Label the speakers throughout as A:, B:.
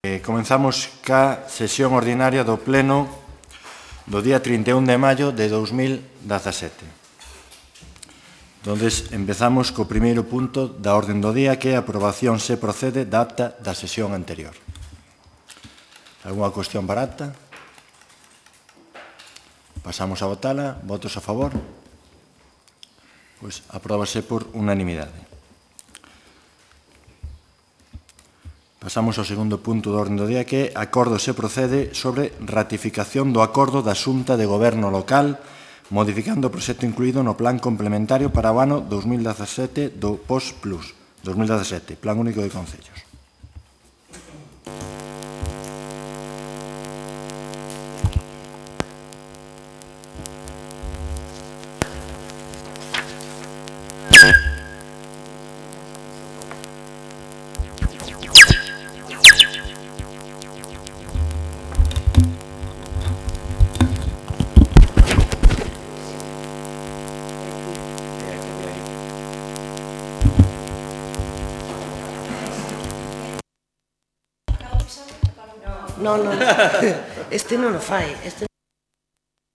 A: Comenzamos ca sesión ordinaria do Pleno do día 31 de maio de 2017. Entonces, empezamos co primeiro punto da orden do día, que é a aprobación se procede da acta da sesión anterior. Alguna cuestión para acta? Pasamos a votala. Votos a favor? Pois apróbase por unanimidade. Pasamos ao segundo punto do orden do día, que é acordo se procede sobre ratificación do acordo da Xunta de Goberno Local modificando o proxecto incluído no Plan Complementario para o ano 2017 do POS Plus 2017, Plan Único de Concellos.
B: No, este non o fai.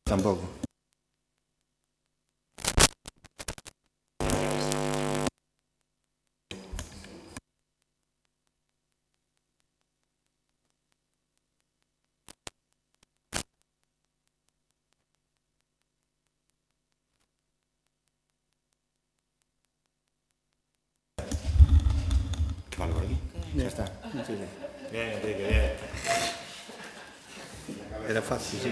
A: Tampouco. Vale, por aquí. Ya está. Bien, Enrique, bien.
C: Era fácil, sí.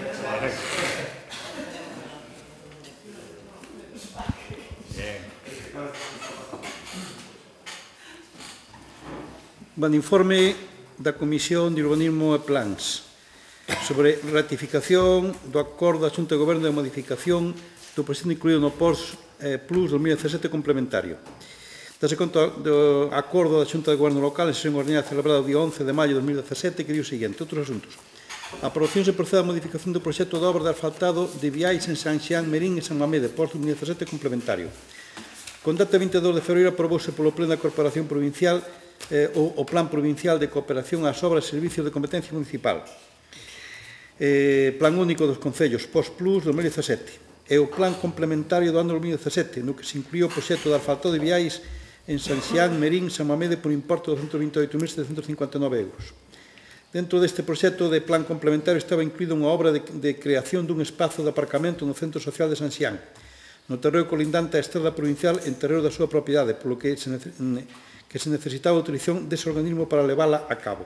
C: Bueno, informe da Comisión de Urbanismo e Plans sobre ratificación do acordo da Xunta de Goberno de modificación do proxecto incluído no POS Plus 2017 complementario. Dase conta do acordo da Xunta de Goberno Local en sesión ordinaria celebrada o día 11 de maio de 2017, que di o seguinte: outros asuntos. A aprobación se procede á modificación do proxecto de obra de asfaltado de viais en San Xián, Merín e San Mamede, POS 2017 complementario. Con data 22 de febreiro aprobouse polo Pleno da Corporación Provincial o Plan Provincial de Cooperación ás Obras e Servicios de Competencia Municipal, Plan Único dos Concellos, POS Plus 2017, e o Plan Complementario do ano 2017, no que se incluíu o proxecto de asfaltado de viais en San Xián, Merín e San Mamede por importe de 228.759 euros. Dentro deste proxecto de plan complementario estaba incluída unha obra de creación dun espazo de aparcamento no Centro Social de San Xián, no terreo colindante á estrada provincial en terreo da súa propiedade, polo que se necesitaba a autorización dese organismo para levala a cabo.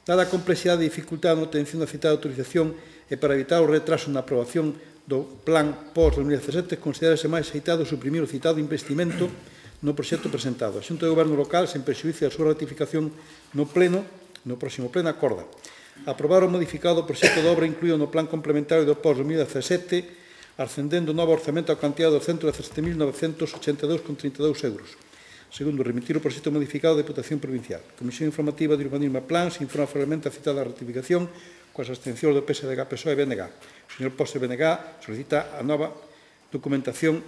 C: Dada a complexidade e dificultade na obtención da citada autorización e para evitar o retraso na aprobación do plan POS 2017, considerase máis aceitado suprimir o citado investimento no proxecto presentado. A Xunta de Goberno Local, sen prexuízo da súa ratificación no próximo pleno, acorda aprobar o modificado proxecto de obra incluído no plan complementario do POS 2017, ascendendo o novo orzamento a cantidade de 217.982,32 euros. Segundo, remitir o proxecto modificado da Deputación Provincial. Comisión Informativa de Urbanismo e Plans informa favorablemente a citada ratificación coas abstencións do PSDG, PSOE e BNG. O señor Posse BNG solicita a nova documentación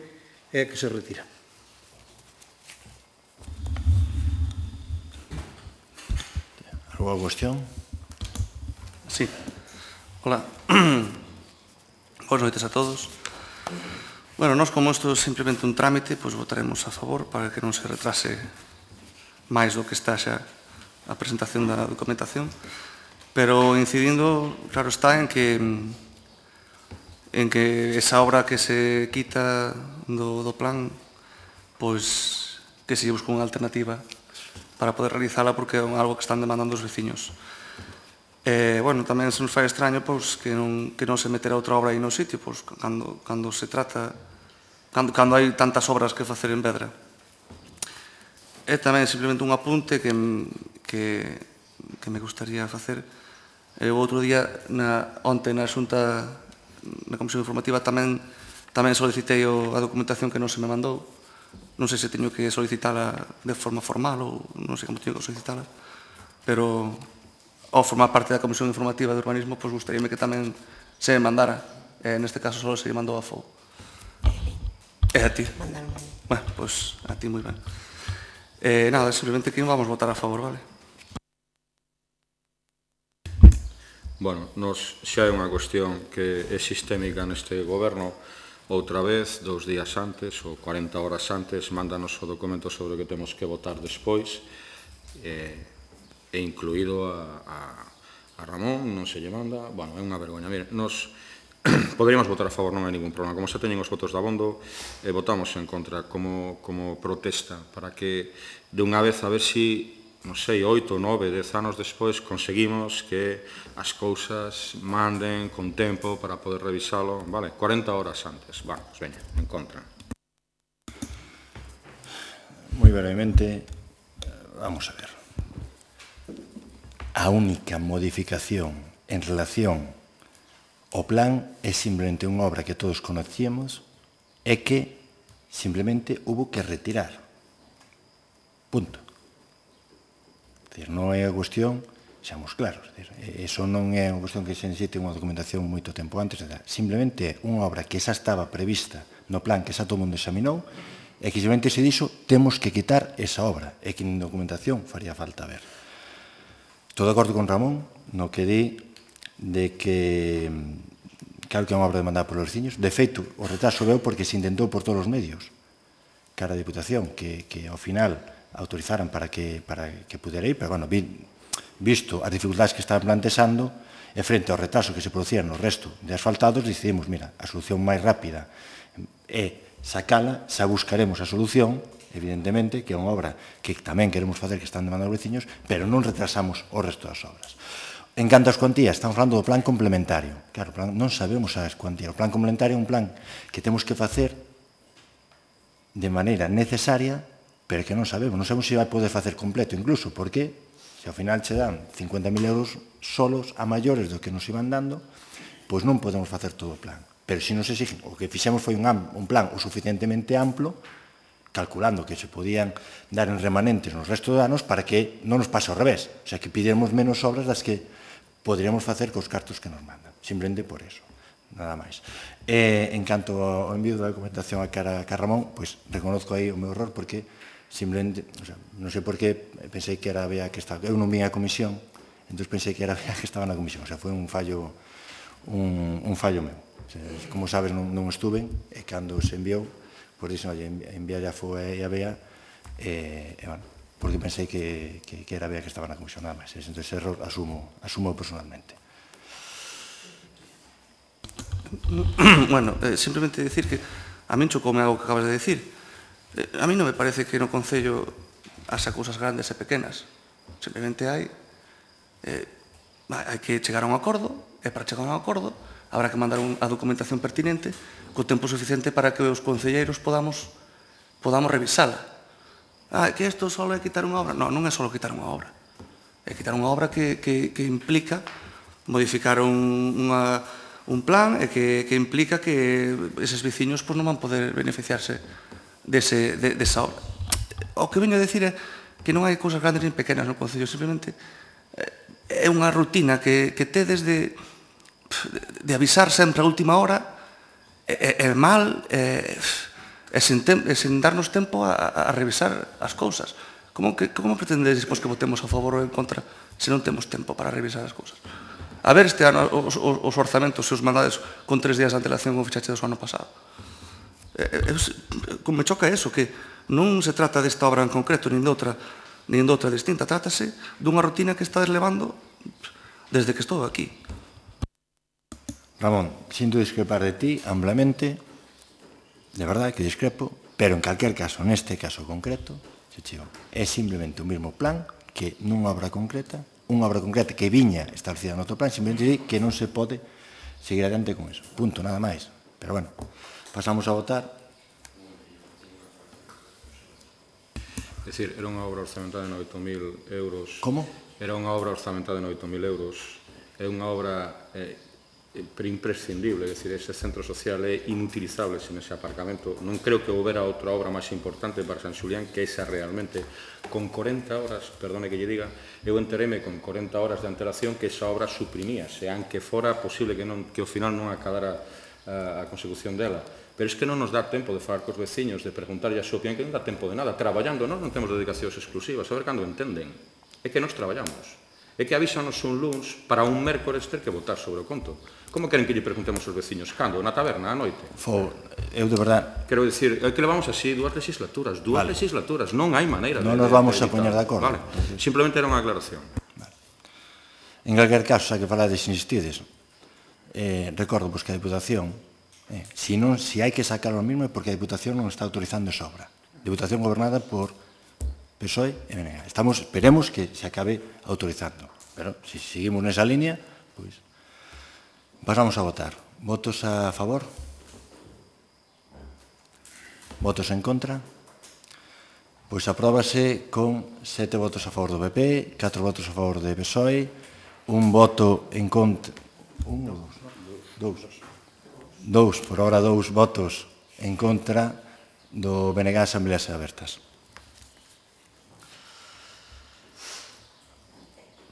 C: que se retira.
A: Alguna cuestión?
D: Sí. Hola. Boas noites a todos. Bueno, nós, como isto é simplemente un trámite, pois votaremos a favor para que non se retrase máis do que está xa a presentación da documentación, pero incidindo, claro está, en que esa obra que se quita do plan, pois que se lle busque unha alternativa para poder realizala, porque é algo que están demandando os veciños. Bueno, tamén se nos fai extraño que non se meterá outra obra aí no sitio, cando se trata, cando hai tantas obras que facer en Vedra. É tamén simplemente un apunte que me gustaría facer. O outro día, onte na Xunta, na Comisión Informativa, tamén solicitei a documentación que non se me mandou. Non sei se teño que solicitala de forma formal ou non sei como teño que solicitala, pero ao formar parte da Comisión Informativa de Urbanismo, pois gustaríame que tamén se me mandara. Neste caso só se lle mandou a FOU. E a ti? Bueno, pois a ti moi ben. Nada, simplemente que vamos votar a favor, vale?
E: Bueno, nos xa é unha cuestión que é sistémica neste goberno. Outra vez, 2 días antes ou 40 horas antes, mándanos o documento sobre o que temos que votar despois, e incluído a Ramón, non se lle manda. Bueno, é unha vergoña. Mire, nos poderíamos votar a favor, non hai ningún problema. Como xa teñen os votos de abondo, votamos en contra como protesta para que, de unha vez, a ver si, non sei, 8, 9, 10 anos despois, conseguimos que as cousas manden con tempo para poder revisalo, vale, 40 horas antes. Bueno, pues veña, en contra.
A: Moi brevemente, vamos a ver. A única modificación en relación ao plan é simplemente unha obra que todos conocíamos e que simplemente hubo que retirar. Punto. Non é a cuestión, seamos claros, iso non é unha cuestión que se necesite unha documentación moito tempo antes, simplemente é unha obra que xa estaba prevista no plan que xa todo o mundo examinou e que simplemente se dixo temos que quitar esa obra e que en documentación faría falta ver. Estou de acordo con Ramón no que di de que claro que é unha obra demandada polos veciños. De feito, o retraso veu porque se intentou por todos os medios cara a Diputación que ao final autorizaran para que pudera ir, pero, bueno, visto as dificultades que estaban plantexando e frente ao retraso que se producía no resto de asfaltados, decidimos, mira, a solución máis rápida é sacala, xa buscaremos a solución, evidentemente, que é unha obra que tamén queremos facer que están demandando os veciños, pero non retrasamos o resto das obras. En canto ás cuantías, estamos falando do plan complementario. Claro, non sabemos as cuantías. O plan complementario é un plan que temos que facer de maneira necesaria, pero que non sabemos se vai poder facer completo, incluso, porque se ao final che dan 50.000 euros solos a maiores do que nos iban dando, pois non podemos facer todo o plan. Pero se nos exigen, o que fixemos foi un plan o suficientemente amplo, calculando que se podían dar en remanentes nos restos de anos para que non nos pase ao revés. O sea, que pidiéramos menos obras das que poderíamos facer cos cartos que nos mandan. Simplemente por eso, nada máis. En canto ao envío da documentación a Ramón, pois reconozco aí o meu error porque simplemente, non sei por qué, pensei que era a Bea que estaba, eu non vim a comisión, entón pensei que era a Bea que estaba na comisión, o sea, foi un fallo meu. Como sabes, non estuve, e cando se enviou, por iso, enviar a FOE e a Bea, bueno, porque pensei que era a Bea que estaba na comisión, nada máis. Entón, ese error asumo personalmente.
D: Bueno, simplemente decir que a min chocoume algo que acabas de decir. A mí non me parece que no Concello haxa cousas grandes e pequenas. Simplemente hai que chegar a un acordo, e para chegar a un acordo habrá que mandar a documentación pertinente co tempo suficiente para que os concelleiros podamos revisala. Que isto só é quitar unha obra. Non, non é só quitar unha obra. É quitar unha obra que implica modificar un plan e que implica que eses veciños non van poder beneficiarse desa obra. O que veño a decir é que non hai cousas grandes nin pequenas no Concello, simplemente é unha rutina que tedes de avisar sempre a última hora, é mal, e sen darnos tempo a revisar as cousas. Como pretendedes que votemos a favor ou en contra se non temos tempo para revisar as cousas? A ver este ano os orzamentos, se os mandades con 3 días de antelación como fixaxe do ano pasado. Me choca eso, que non se trata desta obra en concreto, nin de outra distinta, trátase dunha rutina que estades levando desde que estou aquí.
A: Ramón, sinto discrepar de ti amplamente, de verdade que discrepo, pero en calquer caso, neste caso concreto, é simplemente o mesmo plan que nunha obra concreta que viña establecida no outro plan, simplemente di que non se pode seguir adiante con eso. Punto, nada máis. Pero, bueno, pasamos a votar.
E: É dicir, era unha obra orzamentada de 8.000 euros.
A: Como?
E: Era unha obra orzamentada de 8.000 euros. É unha obra imprescindible, é dicir, ese centro social é inutilizable sin ese aparcamento. Non creo que houbera outra obra máis importante para San Xulián que esa realmente. Con 40 horas, perdone que lle diga, eu enteréme con 40 horas de antelación que esa obra suprimíase, aunque fora posible que ao final non acabara a consecución dela. Pero é que non nos dá tempo de falar cos veciños, de preguntarlle a súa opinión, que non dá tempo de nada. Traballando, non temos dedicacións exclusivas, a ver cando entenden. É que nos traballamos. É que avísanos un luns para un mércores ter que votar sobre o conto. Como queren que lle preguntemos aos veciños? Cando? Na taberna, a noite?
A: Eu, de verdad...
E: Quero dicir, é que levamos así dúas legislaturas, non hai maneira de...
A: Non nos vamos a poñer de acordo.
E: Vale, simplemente era unha aclaración.
A: En calquer caso, xa que falades insistides, recordo que a Diputación, se hai que sacar o mismo é porque a Diputación non está autorizando esa obra. Diputación gobernada por PSOE e BNG. Esperemos que se acabe autorizando. Pero, se seguimos nesa línea, pois, pasamos a votar. Votos a favor? Votos en contra? Pois apróbase con 7 votos a favor do PP, 4 votos a favor do PSOE, un voto en contra... Dous, por ahora 2 votos en contra do BNG Asambleas Abertas.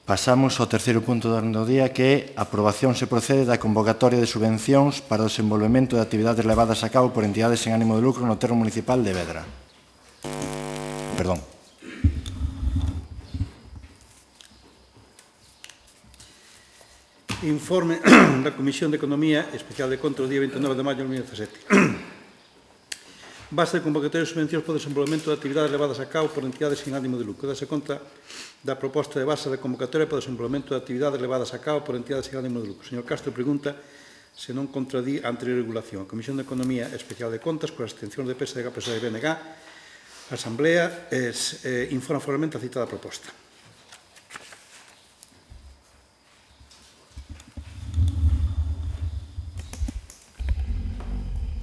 A: Pasamos ao terceiro punto do orden do día, que é a aprobación se procede da convocatoria de subvencións para o desenvolvemento de actividades levadas a cabo por entidades sen ánimo de lucro no termo municipal de Vedra. Perdón.
C: Informe da Comisión de Economía Especial de Contra o día 29 de maio de 2017. Base de convocatoria de subvencións para o desenvolvemento de actividades levadas a cabo por entidades sin ánimo de lucro. Dase conta da proposta de base de convocatoria para o desenvolvemento de actividades levadas a cabo por entidades sin ánimo de lucro. O señor Castro pregunta se non contradí a anterior regulación. A Comisión de Economía Especial de Contas, con as abstencións de PSDG, PSOE e BNG, a Asamblea informa formalmente a citada proposta.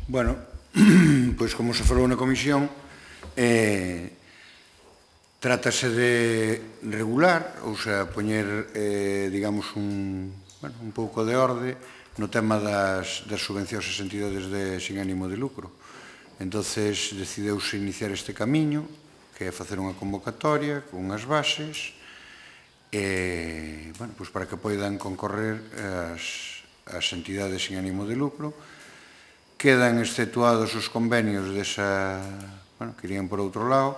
F: Bueno, pois como se falou na comisión, trátase de regular, ou sea, poñer, digamos, un pouco de orde no tema das subvencións e entidades sin ánimo de lucro. Entonces, decideuse iniciar este camiño, que é facer unha convocatoria con unhas bases, para que poidan concorrer as entidades sin ánimo de lucro. Quedan exceptuados os convenios que irían por outro lado,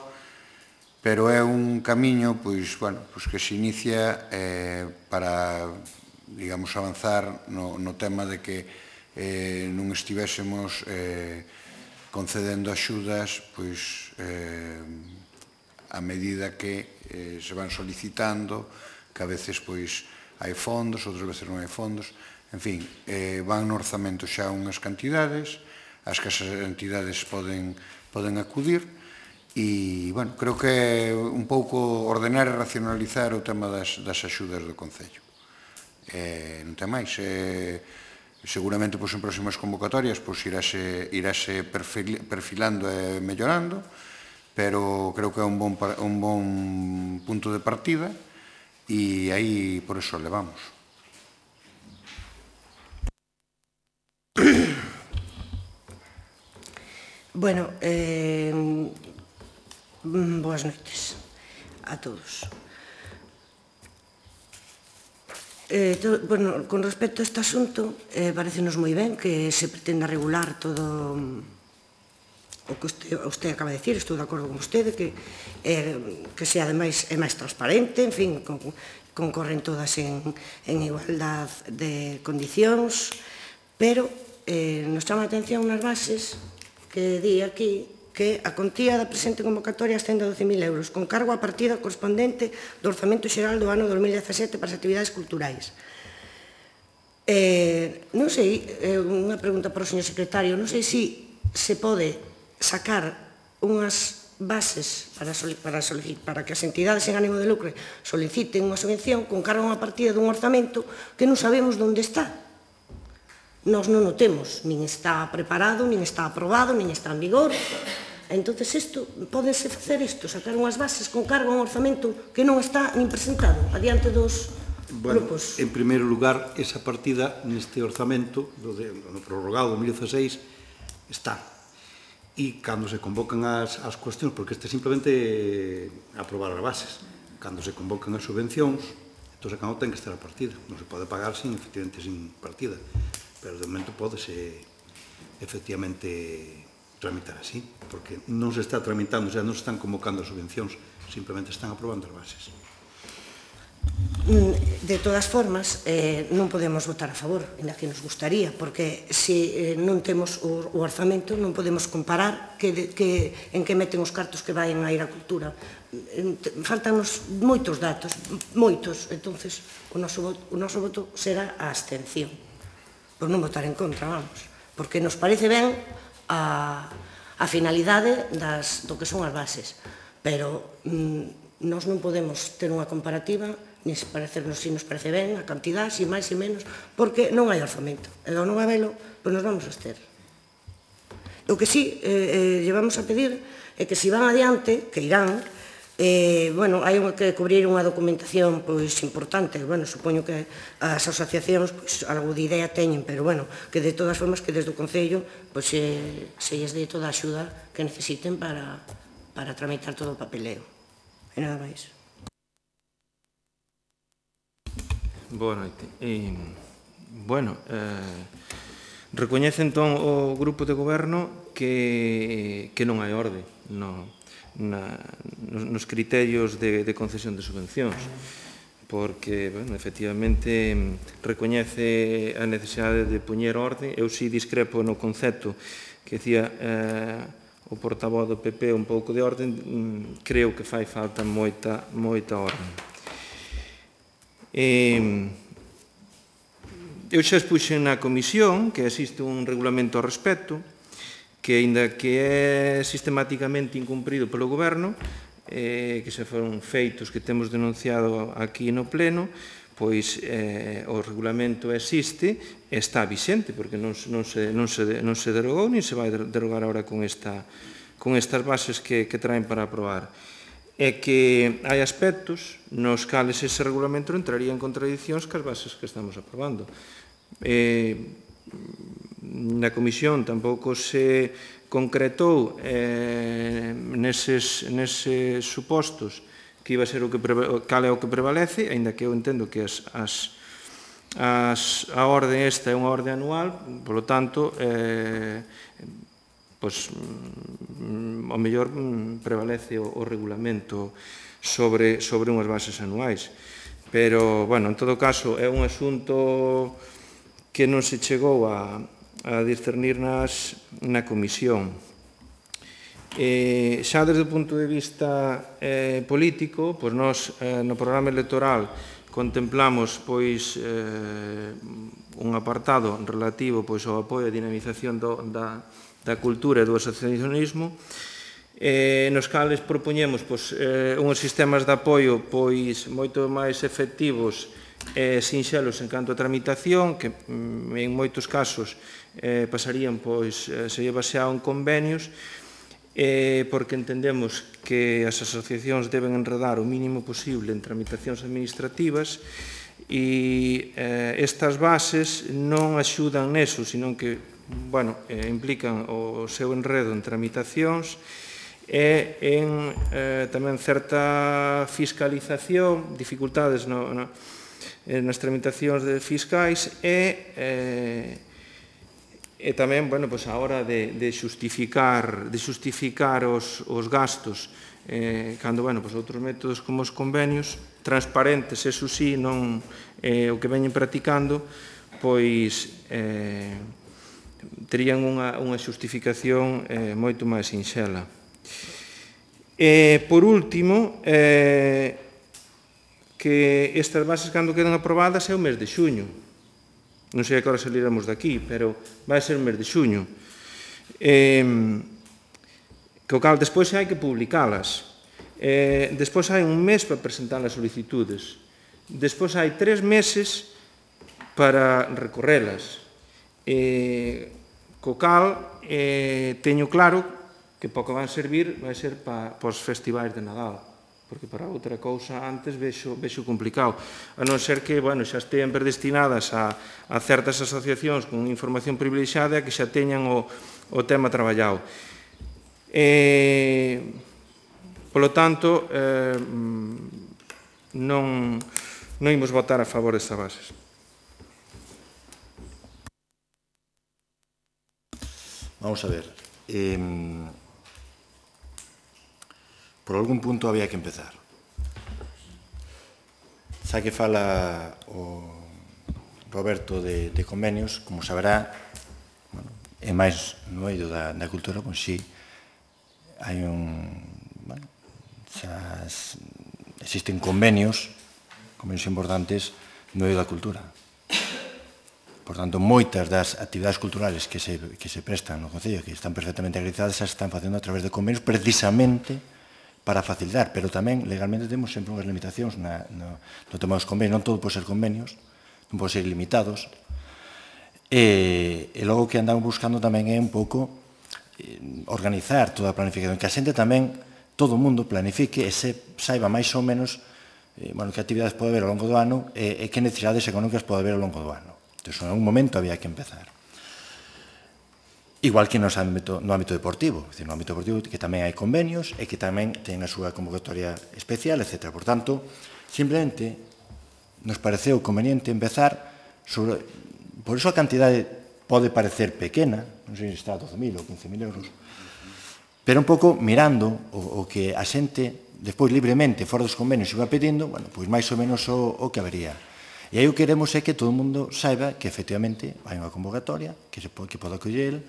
F: pero é un camiño que se inicia para, digamos, avanzar no tema de que non estivésemos concedendo axudas a medida que se van solicitando, que a veces hai fondos, outras veces non hai fondos. En fin, van no orzamento xa unhas cantidades, as que as entidades poden acudir, e, creo que é un pouco ordenar e racionalizar o tema das axudas do Concello. Non ten máis. Seguramente, en próximas convocatorias, irase perfilando e mellorando, pero creo que é un bon punto de partida, e aí, por eso, levamos.
B: Bueno, boas noites a todos. Con respecto a este asunto, parecenos moi ben que se pretenda regular todo o que usted acaba de decir. Estou de acordo con vostede, que sea, ademais, máis transparente, en fin, concorren todas en igualdad de condicións, pero nos chama a atención nas bases que di aquí que a contía da presente convocatoria ascende a 12.000 euros, con cargo a partida correspondente do Orzamento Xeral do ano 2017 para as actividades culturais. Non sei, unha pregunta para o señor secretario, non sei se pode sacar unhas bases para que as entidades sen ánimo de lucro soliciten unha subvención con cargo a partida dun orzamento que non sabemos onde está. Nós non o temos, nin está preparado, nin está aprobado, nin está en vigor. Entón, pódense facer isto, sacar unhas bases con cargo a un orzamento que non está nin presentado adiante dos grupos.
C: En primeiro lugar, esa partida neste orzamento, no prorrogado do 2016, está. E cando se convocan as cuestións, porque este simplemente aprobar as bases, cando se convocan as subvencións, entón, cando ten que estar a partida. Non se pode pagar efectivamente sin partida. Pero de momento pódese efectivamente tramitar así, porque non se está tramitando, non se están convocando as subvencións, simplemente están aprobando as bases.
B: De todas formas, non podemos votar a favor, ainda que nos gustaría, porque se non temos o orzamento non podemos comparar en que meten os cartos que vayan a ir á cultura. Faltanos moitos datos, moitos, entonces o noso voto será a abstención, por non votar en contra, vamos, porque nos parece ben a finalidade do que son as bases, pero nós non podemos ter unha comparativa nin se nos parece ben a cantidad, si máis e menos, porque non hai orzamento. E ao non habelo, pois nos vamos a abster. O que sí llevamos a pedir é que se van adiante, que irán, bueno, hai que cubrir unha documentación pois importante, bueno, supoño que as asociacións pois algo de idea teñen, pero bueno, que de todas formas que desde o Concello pois se lles dé toda a axuda que necesiten para tramitar todo o papeleo. E nada máis.
G: Boa noite. Bueno, recoñece entón o grupo de goberno que non hai orde nos criterios de concesión de subvencións, porque, bueno, efectivamente, recoñece a necesidade de poñer orde. Eu si discrepo no concepto que decía o portavoz do PP, un pouco de orde, creo que fai falta moita orde. Eu xa expuxen na comisión que existe un regulamento ao respecto que, aínda que é sistematicamente incumprido polo goberno, que se foron feitos que temos denunciado aquí no pleno, pois o regulamento existe e está vixente, porque non se derogou, nin se vai derogar agora con estas bases que traen para aprobar. É que hai aspectos nos cales ese regulamento entraría en contradicións cas bases que estamos aprobando. Na comisión tampouco se concretou neses supostos que iba a ser cal é o que prevalece, aínda que eu entendo que a orde esta é unha orde anual, polo tanto, pois, ao mellor prevalece o regulamento sobre unhas bases anuais. Pero, bueno, en todo caso, é un asunto que non se chegou a discernir na comisión. Xa desde o punto de vista político, pois nós no programa electoral contemplamos pois un apartado relativo pois ao apoio e dinamización da cultura e do asociacionismo, nos cales propoñemos uns sistemas de apoio moito máis efectivos e sinxelos en canto a tramitación, que en moitos casos pasarían, se baseado en convenios, porque entendemos que as asociacións deben enredar o mínimo posible en tramitacións administrativas e estas bases non axudan neso, sino que implican o seu enredo en tramitacións e en tamén certa fiscalización, dificultades nas tramitacións fiscais e tamén, a hora de xustificar os gastos cando, outros métodos como os convenios transparentes, eso sí, non o que veñen practicando, pois terían unha xustificación moito máis sinxela. Por último, que estas bases, cando quedan aprobadas, é o mes de xuño. Non sei a que hora saliremos daqui, pero vai ser o mes de xuño. Co cal, despois hai que publicalas. Despois hai un mes para presentar as solicitudes. Despois hai 3 meses para recorrelas. Co cal, teño claro que para o que van servir vai ser para os festivais de Nadal, porque para outra cousa antes vexo complicado, a non ser que xa estean predestinadas a certas asociacións con información privilexiada que xa teñan o tema traballado. Polo tanto, non imos votar a favor destas bases.
A: Vamos a ver. Por algún punto había que empezar. xa que fala o Roberto de convenios, como saberá, é máis no eido da cultura, pois sí, hai existen convenios importantes no eido da cultura. Por tanto, moitas das actividades culturales que se prestan no Concello, que están perfectamente acreditadas, se están facendo a través de convenios precisamente para facilitar, pero tamén legalmente temos sempre unhas limitacións no tema dos convenios, non todo pode ser convenios, non pode ser ilimitados, e logo que andamos buscando tamén é un pouco organizar toda a planificación, que a xente tamén, todo o mundo planifique e saiba máis ou menos que actividades pode haber ao longo do ano e que necesidades económicas pode haber ao longo do ano. Entón, en algún momento había que empezar. Igual que no ámbito deportivo, no ámbito deportivo que tamén hai convenios e que tamén ten a súa convocatoria especial, etc. Por tanto, simplemente nos pareceu conveniente empezar sobre... Por iso a cantidade pode parecer pequena, non sei se está a 12.000 ou 15.000 euros, pero un pouco mirando o que a xente, despois libremente, fora dos convenios, iba pedindo, pois máis ou menos o que habería. E aí o que queremos é que todo o mundo saiba que efectivamente hai unha convocatoria, que pode acoller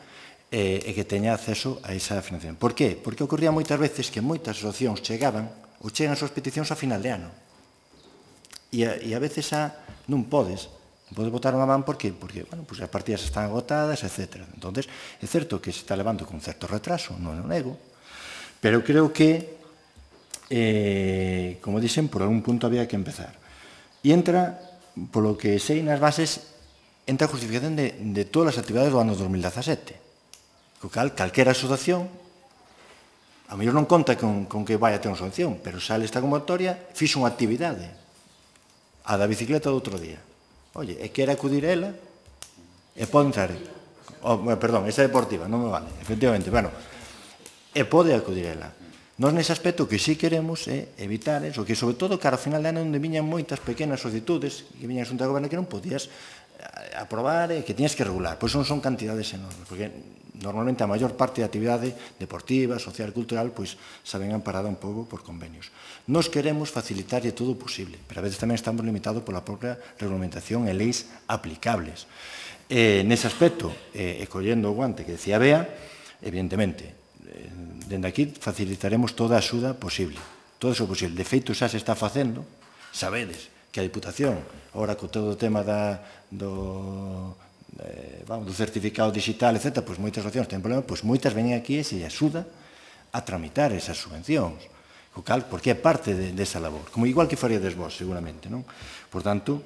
A: e que teña acceso a esa financiación. Por qué? Porque ocorría moitas veces que moitas asociacións chegan as súas peticións a final de ano. E a veces non podes botar unha man porque as partidas están agotadas, etc. Entón, é certo que se está levando con certo retraso, non o nego, pero creo que, como dixen, por algún punto había que empezar. E entra, polo que sei nas bases, entra a justificación de todas as actividades do ano 2017. Co cal, calquera asociación, a mellor non conta con que vai a ter unha asociación, pero sale esta convocatoria, fixo unha actividade, a da bicicleta do outro día. Oye, e quere acudir a ela, e pode entrar. Perdón, esa deportiva, non me vale, efectivamente, e pode acudir a ela. Nós nese aspecto que sí queremos é evitar eso, que sobre todo cara ao final de ano onde viñan moitas pequenas solicitudes que viñan a Xunta de Goberno que non podías aprobar e que tiñas que regular. Pois non son cantidades enormes, porque normalmente a maior parte da actividade deportiva, social e cultural pois se ven amparada un pouco por convenios. Nos queremos facilitarlle todo o posible, pero a veces tamén estamos limitados pola propia regulamentación e leis aplicables. Nese aspecto, e collendo o guante que decía Bea, evidentemente, dende aquí facilitaremos toda a axuda posible. Todo o posible. De feito, xa se está facendo, sabedes que a Diputación, agora co todo o tema do certificado digital, etc., pois moitas asociacións ten problemas, pois moitas veñen aquí e se axuda a tramitar esas subvencións. O cal, porque é parte desa labor. Como igual que faríades vos, seguramente, non? Por tanto,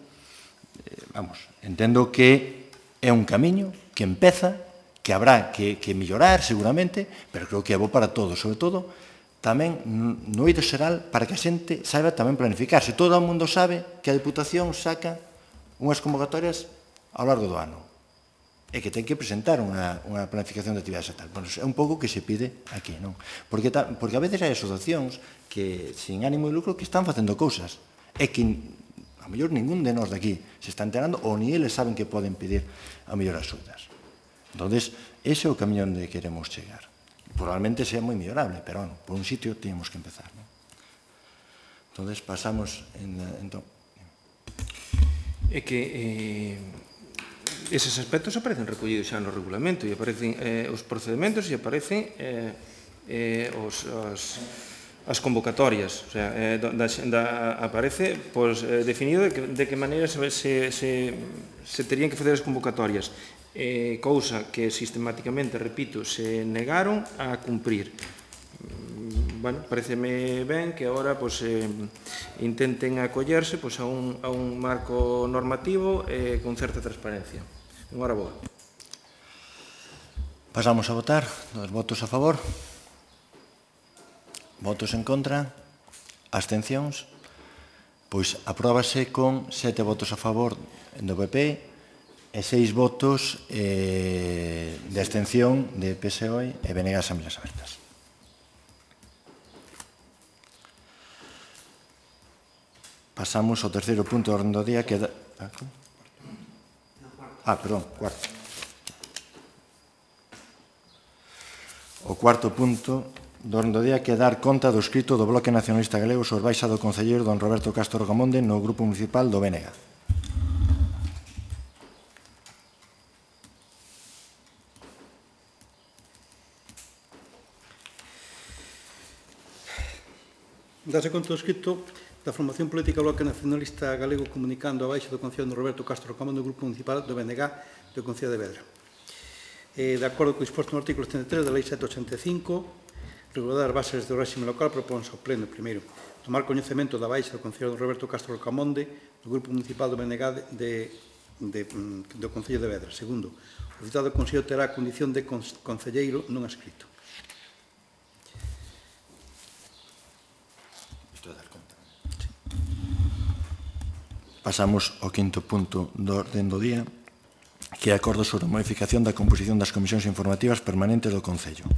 A: entendo que é un camiño que empeza, que habrá que mellorar seguramente, pero creo que é bo para todos, sobre todo tamén no eido xeral para que a xente saiba tamén planificarse. Todo o mundo sabe que a Diputación saca unhas convocatorias ao largo do ano e que ten que presentar unha planificación de actividades e tal. É un pouco que se pide aquí, non? Porque a veces hai asociacións que, sin ánimo de lucro, que están facendo cousas e que a mellor ningún de nós daqui se está enterando ou ni eles saben que poden pedir a mellor axudas. Entón, ese é o camiño onde queremos chegar. Probablemente sea moi mellorable, pero, por un sitio temos que empezar. Entón, pasamos...
G: É que eses aspectos aparecen recollidos xa no regulamento e aparecen os procedementos e aparecen as convocatorias. O sea, aparece definido de que maneira se terían que facer as convocatorias. Cousa que sistemáticamente, repito, se negaron a cumprir. Pareceme ben que agora intenten acollerse a un marco normativo con certa transparencia. Enhora boa.
A: Pasamos a votar. Dos votos a favor. Votos en contra. Abstencións. Pois apróbase con 7 votos a favor do PP e 6 votos de abstención de PSOE e BNG Asambleas Abertas. Pasamos ao terceiro punto do orden do día que... perdón, cuarto. O cuarto punto do orden do día que dar conta do escrito do Bloque Nacionalista Galego sobre baixa do concelleiro don Roberto Castro Rocamonde no Grupo Municipal do BNG.
C: Dase conta do escrito da formación política Bloque Nacionalista Galego comunicando a baixa do Concello de Roberto Castro Rocamonde do Grupo Municipal do BNG do Concello de Vedra. De acordo co disposto no artículo 73 da Lei 785, regular as bases do réxime local propónse ao Pleno, primeiro, tomar coñecemento da baixa do Concello de Roberto Castro Rocamonde do Grupo Municipal do BNG do Concello de Vedra. Segundo, o citado Concello terá a condición de concelleiro non adscrito.
A: Pasamos ao quinto punto do orden do día, que é acordo sobre a modificación da composición das comisións informativas permanentes do Concello.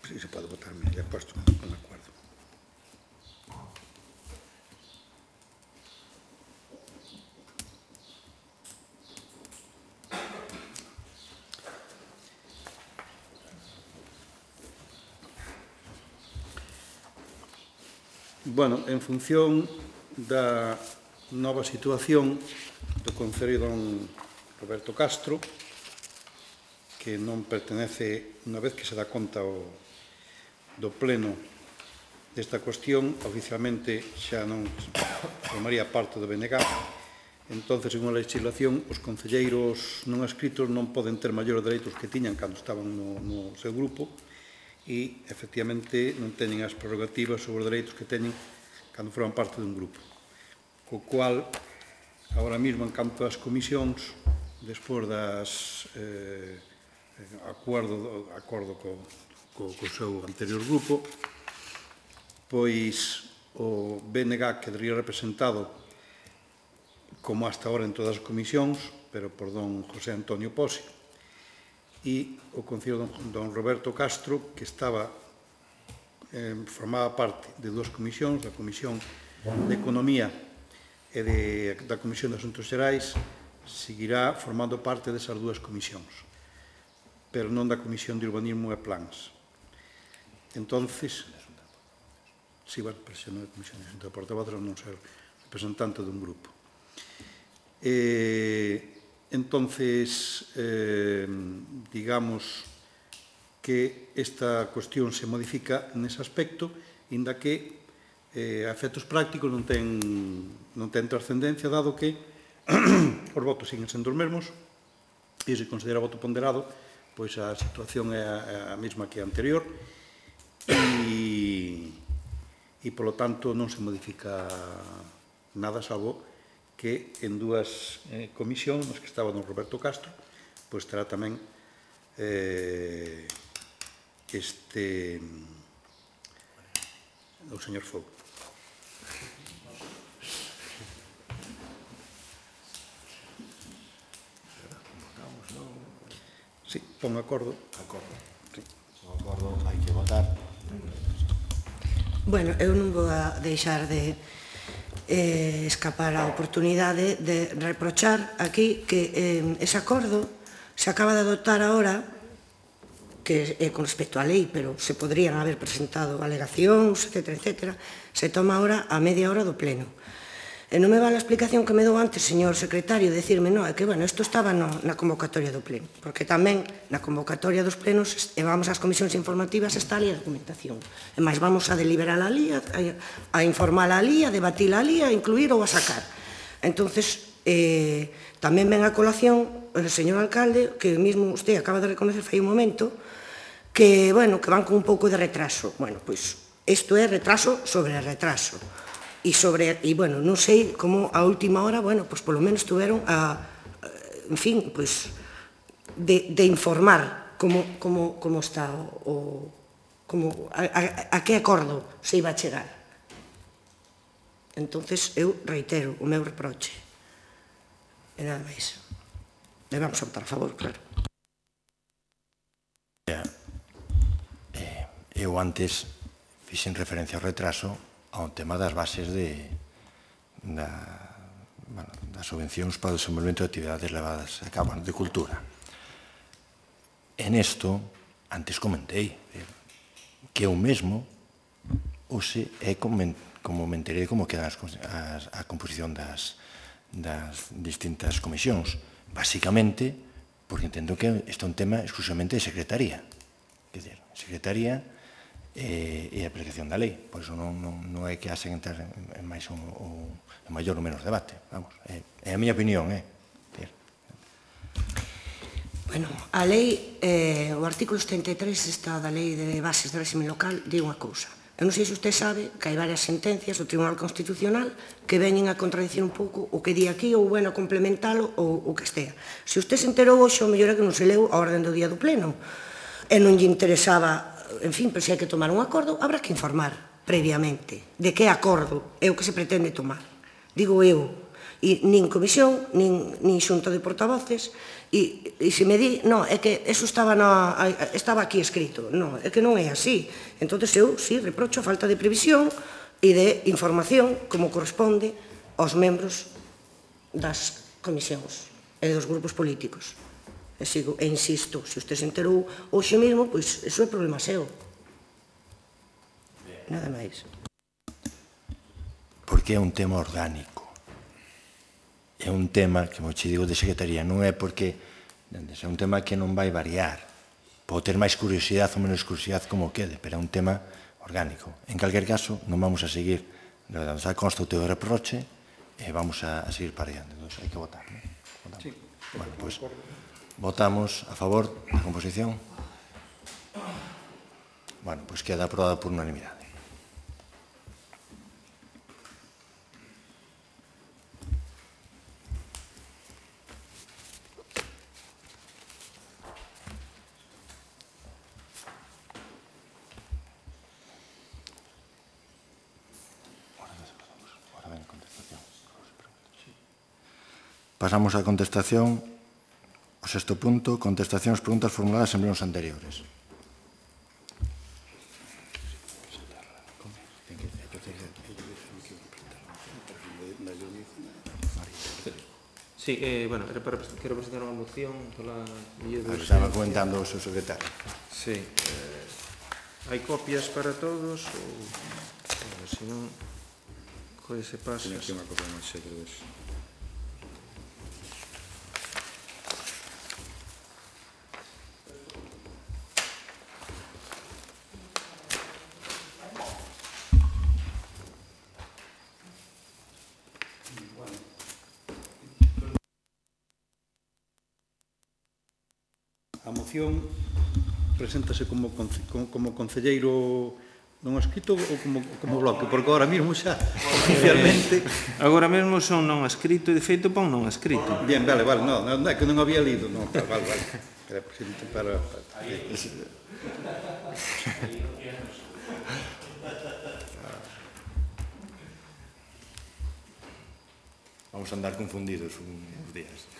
C: Sí, se pode votar, me he puesto con acuerdo. Bueno, en función da nova situación do Concello don Roberto Castro, que non pertenece, unha vez que se dá conta do Pleno desta cuestión, oficialmente xa non formaría parte do BNG, entón, según a legislación, os concelleiros non adscritos non poden ter maiores dereitos que tiñan cando estaban no seu grupo, e, efectivamente, non teñen as prerrogativas sobre os dereitos que teñen cando forman parte dun grupo. Co cual, agora mesmo, en canto ás comisións, despois das acordo co seu anterior grupo, pois o BNG quedaría representado como hasta ahora en todas as comisións, pero por don José Antonio Pose, e o Concello don Roberto Castro, que formaba parte de dúas comisións, da Comisión de Economía e da Comisión de Asuntos Xerais, seguirá formando parte desas dúas comisións, pero non da Comisión de Urbanismo e Plans. Entonces, sí, bueno, pero xa non é Comisión de Asuntos de Portavoz, non ser representante dun grupo. Entonces, digamos que esta cuestión se modifica nese aspecto, inda que a efectos prácticos non ten trascendencia, dado que os votos siguen sendo os mesmos, e se considera voto ponderado, pois a situación é a mesma que a anterior, e, polo tanto, non se modifica nada, salvo que en dúas comisións nas que estaba don Roberto Castro, pois terá tamén o señor Fogo. Sí, pon acordo.
A: Acordo. O acordo hai que votar.
B: Bueno, eu non vou a deixar de escapar a oportunidade de reprochar aquí que ese acordo se acaba de adoptar agora, que é con respecto á lei, pero se podrían haber presentado alegacións, etc., se toma ahora a media hora do Pleno. E non me vale a explicación que me dou antes, señor secretario, decirme, non, é que, bueno, isto estaba na convocatoria do Pleno, porque tamén na convocatoria dos plenos, e vamos ás comisións informativas, está ali a documentación. E máis, vamos a deliberar ali, a informar ali, a debatir ali, a incluir ou a sacar. Entonces, tamén ven a colación o señor alcalde, que mesmo usted acaba de reconocer fai un momento, que, bueno, que van con un pouco de retraso. Bueno, pois, isto é retraso sobre retraso. E, bueno, non sei como a última hora, bueno, pois polo menos tuveron en fin, pois, de informar como está a que acordo se iba a chegar. Entonces, eu reitero o meu reproche. E nada máis. E vamos a votar a favor, claro.
A: Eu antes fixen referencia ao retraso ao tema das bases das subvencións para o desenvolvemento de actividades levadas a cabo de cultura. En isto, antes comentei que eu mesmo hoxe é como me enterei como queda a composición das distintas comisións. Basicamente, porque entendo que isto é un tema exclusivamente de secretaría. Quer dizer, secretaría e a aplicación da lei. Por iso non é que hasen entrar en máis ou maior ou menos debate. Vamos, é a miña opinión,
B: Bueno, a lei, o artículo 73 está da lei de bases de régimen local, di unha cousa. Eu non sei se usted sabe que hai varias sentencias do Tribunal Constitucional que veñen a contradicir un pouco o que di aquí ou bueno complementalo ou o que estea. Se usted se enterou hoxe, o mellor é que non se leu a orden do día do pleno e non lle interesaba, en fin, pero se hai que tomar un acordo, habrá que informar previamente de que acordo é o que se pretende tomar. Digo eu, e nin comisión, nin xunta de portavoces, e se me di, non, é que eso estaba aquí escrito. Non, é que non é así. Entón, eu, sí, reprocho a falta de previsión e de información como corresponde aos membros das comisións e dos grupos políticos. E insisto, se usted se enterou hoxe mesmo, pois, iso é problema seu. Nada máis.
A: Porque é un tema orgánico. É un tema, que che digo, de secretaría, non é porque é un tema que non vai variar. Pode ter máis curiosidade ou menos curiosidade como quede, pero é un tema orgánico. En calquer caso, non vamos a seguir, xa consta o teu reproche, e vamos a seguir para adiante. Entón, hai que votar, non? Bueno, pois, votamos a favor da composición. Bueno, pois queda aprobada por unanimidade. Pasamos á contestación, ao sexto punto, contestación ás preguntas formuladas en plenos anteriores.
G: Sí, bueno, quero presentar unha moción pola vía de urgencia.
A: Estaba comentando o seu secretario.
G: Sí. Hai copias para todos ou se non, se pasa.
E: Tiene aquí unha copia máis xe de eso.
C: A moción preséntase como concelleiro non escrito ou como bloque, porque agora mesmo xa oficialmente...
G: Agora mesmo son non escrito e de feito pon non escrito.
C: Bien, vale, non é que non había lido, non, vale. Era presente para...
A: Vamos a andar confundidos uns días.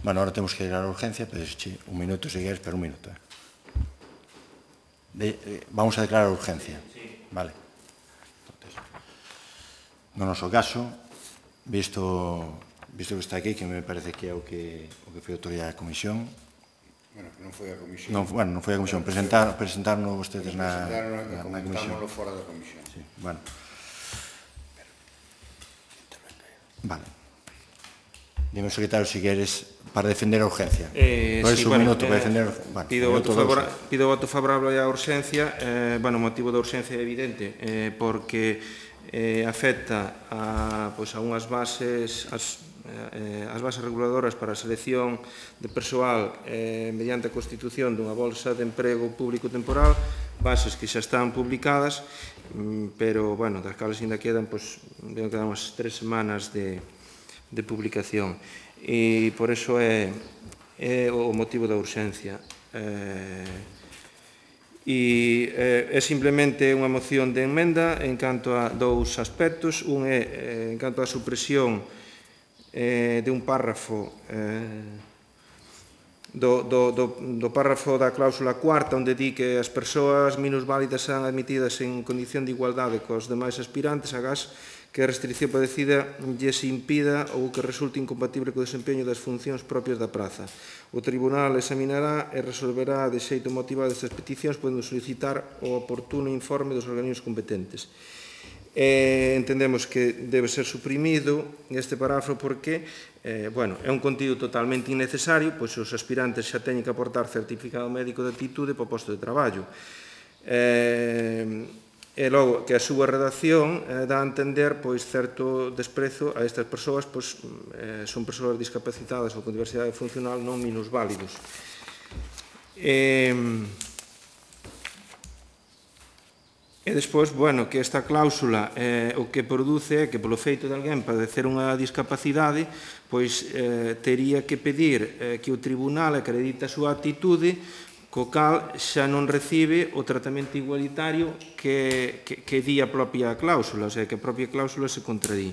A: Bueno, ahora temos que declarar a urgencia, pero un minuto, si queres, pero un minuto. Vamos a declarar a urgencia. Vale. No noso caso, visto que está aquí, que me parece que é o que foi autoridade da comisión.
F: Bueno, que non foi a comisión.
A: Non foi a comisión. Presentarnos vostedes na comisión.
F: Comentámoslo fora da comisión.
A: Sí, bueno. Vale. Dime, secretario, si queres, para defender a urgencia.
G: Sí, bueno,
A: pido
G: voto favorable á urgencia. Bueno, o motivo da urgencia é evidente, porque afecta a unhas bases, as bases reguladoras para a selección de persoal mediante a constitución dunha bolsa de emprego público temporal, bases que xa están publicadas, pero, bueno, das cales ainda quedan unhas 3 semanas de publicación, e por iso é o motivo da urxencia. E é simplemente unha moción de enmenda en canto a dous aspectos. Un é en canto á supresión de un párrafo do párrafo da cláusula cuarta, onde di que as persoas minusválidas serán admitidas en condición de igualdade cos demais aspirantes, agás que a restricción padecida lles impida ou que resulte incompatible co desempeño das funcións propias da praza. O Tribunal examinará e resolverá de xeito motivado estas peticións, podendo solicitar o oportuno informe dos organismos competentes. Entendemos que debe ser suprimido este parágrafo porque é un contido totalmente innecesario, pois os aspirantes xa teñen que aportar certificado médico de aptitude para o posto de traballo. E logo que a súa redacción dá a entender certo desprezo a estas persoas, son persoas discapacitadas ou con diversidade funcional non minusválidos. E despois, que esta cláusula o que produce é que polo feito de alguén padecer unha discapacidade, tería que pedir que o tribunal acredite a súa actitude, co cal xa non recibe o tratamento igualitario que di a propia cláusula, o sea, que a propia cláusula se contradí.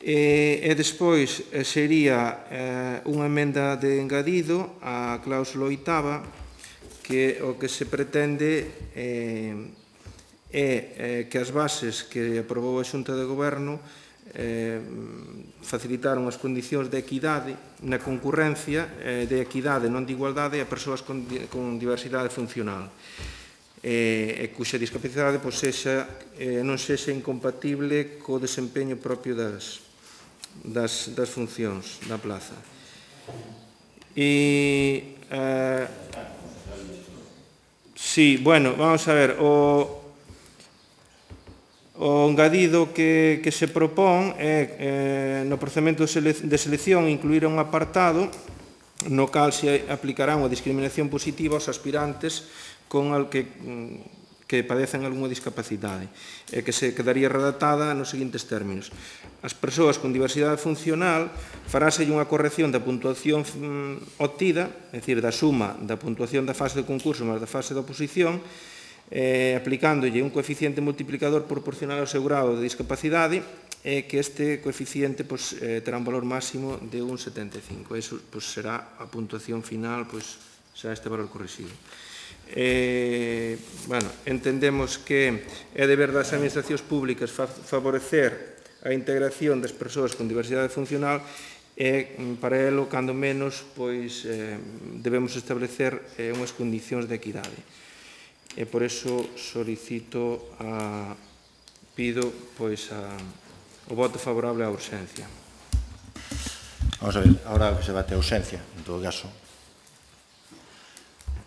G: E despois sería unha emenda de engadido á cláusula oitava, que o que se pretende é que as bases que aprobou a Xunta de Goberno facilitaron as condicións de equidade na concurrencia, de equidade, non de igualdade, a persoas con diversidade funcional, e cuxa discapacidade non sexa incompatible co desempeño propio das funcións da plaza. Vamos a ver, o engadido que se propón é no procedimento de selección incluir un apartado no cal se aplicará unha discriminación positiva aos aspirantes que padecen algunha discapacidade, e que se quedaría redactada nos seguintes términos. As persoas con diversidade funcional faráselle unha corrección da puntuación obtida, é dicir, da suma da puntuación da fase de concurso máis da fase de oposición, aplicándolle un coeficiente multiplicador proporcional ao seu grado de discapacidade, e que este coeficiente terá un valor máximo de 1,75. Eso será a puntuación final, será este valor corrixido. Entendemos que é deber das administracións públicas favorecer a integración das persoas con diversidade funcional, e para elo, cando menos, debemos establecer unhas condicións de equidade. E por eso pido o voto favorable á urxencia.
A: Vamos a ver, ahora que se bate a urxencia, en todo caso,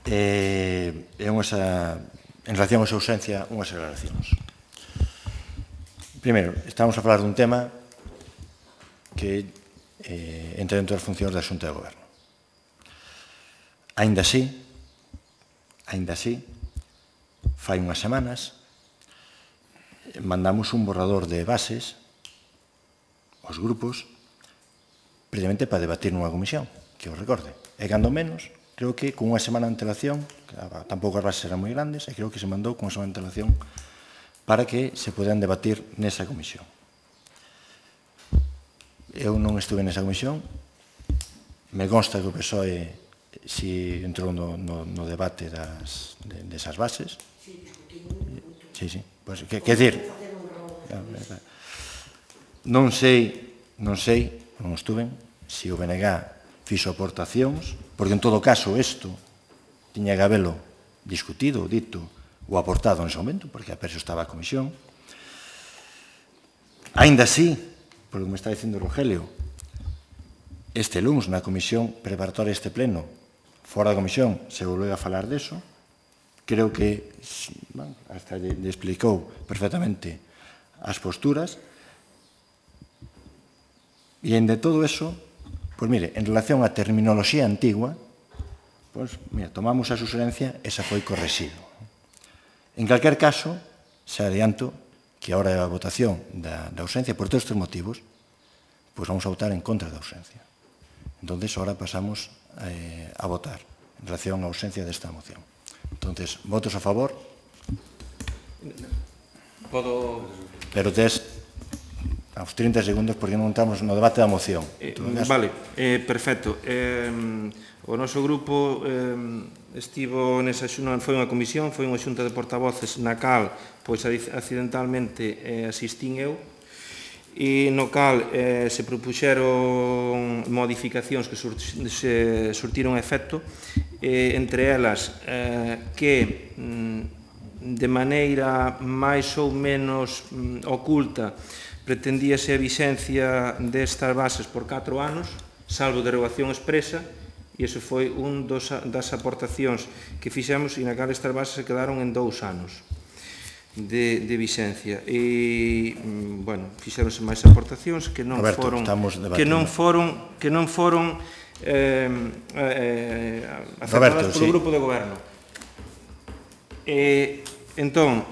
A: en relación a esa urxencia, unhas aclaracións. Primeiro, estamos a falar dun tema que entra dentro das funcións da Xunta de Goberno. Aínda así, fai unhas semanas, mandamos un borrador de bases aos grupos precisamente para debatir nunha comisión, que os recorde. E cando menos, creo que con unha semana de antelación, tampouco as bases eran moi grandes, e creo que se mandou con unha semana de antelación para que se podan debatir nesa comisión. Eu non estuve nesa comisión, me consta que o PSOE si entrou no debate desas bases. Sí. Quer dizer, non sei, non estuve, se o BNG fixo aportacións, porque en todo caso isto tiña que habelo discutido, dito ou aportado nese momento, porque a perso estaba a comisión. Aínda así, polo que me está dicindo Rogelio, este luns na comisión preparatoria deste pleno, fora da comisión, se volveu a falar deso. Creo que hasta lle explicou perfectamente as posturas. E en de todo eso, en relación á terminoloxía antigua, tomamos a suxerencia e xa foi correxido. En calquer caso, xa adianto que a hora da votación da ausencia, por todos estes motivos, vamos a votar en contra da ausencia. Entón, ahora pasamos a votar en relación á ausencia desta moción. Entonces, votos a favor?
G: Podo...
A: Pero tes aos 30 segundos porque non estamos no debate da moción.
G: Vale, perfecto. O noso grupo estivo nesa xunta, foi unha comisión, foi unha xunta de portavoces na cal, pois accidentalmente asistín eu, e no cal se propuxeron modificacións que se surtiron efecto, entre elas que de maneira máis ou menos oculta pretendíase a vixencia destas bases por 4 anos, salvo derogación expresa, e iso foi un das aportacións que fixemos, e na cal estas bases se quedaron en 2 anos de vixencia. E, bueno, fixeronse máis aportacións que non foron aceptadas polo grupo de goberno. Entón,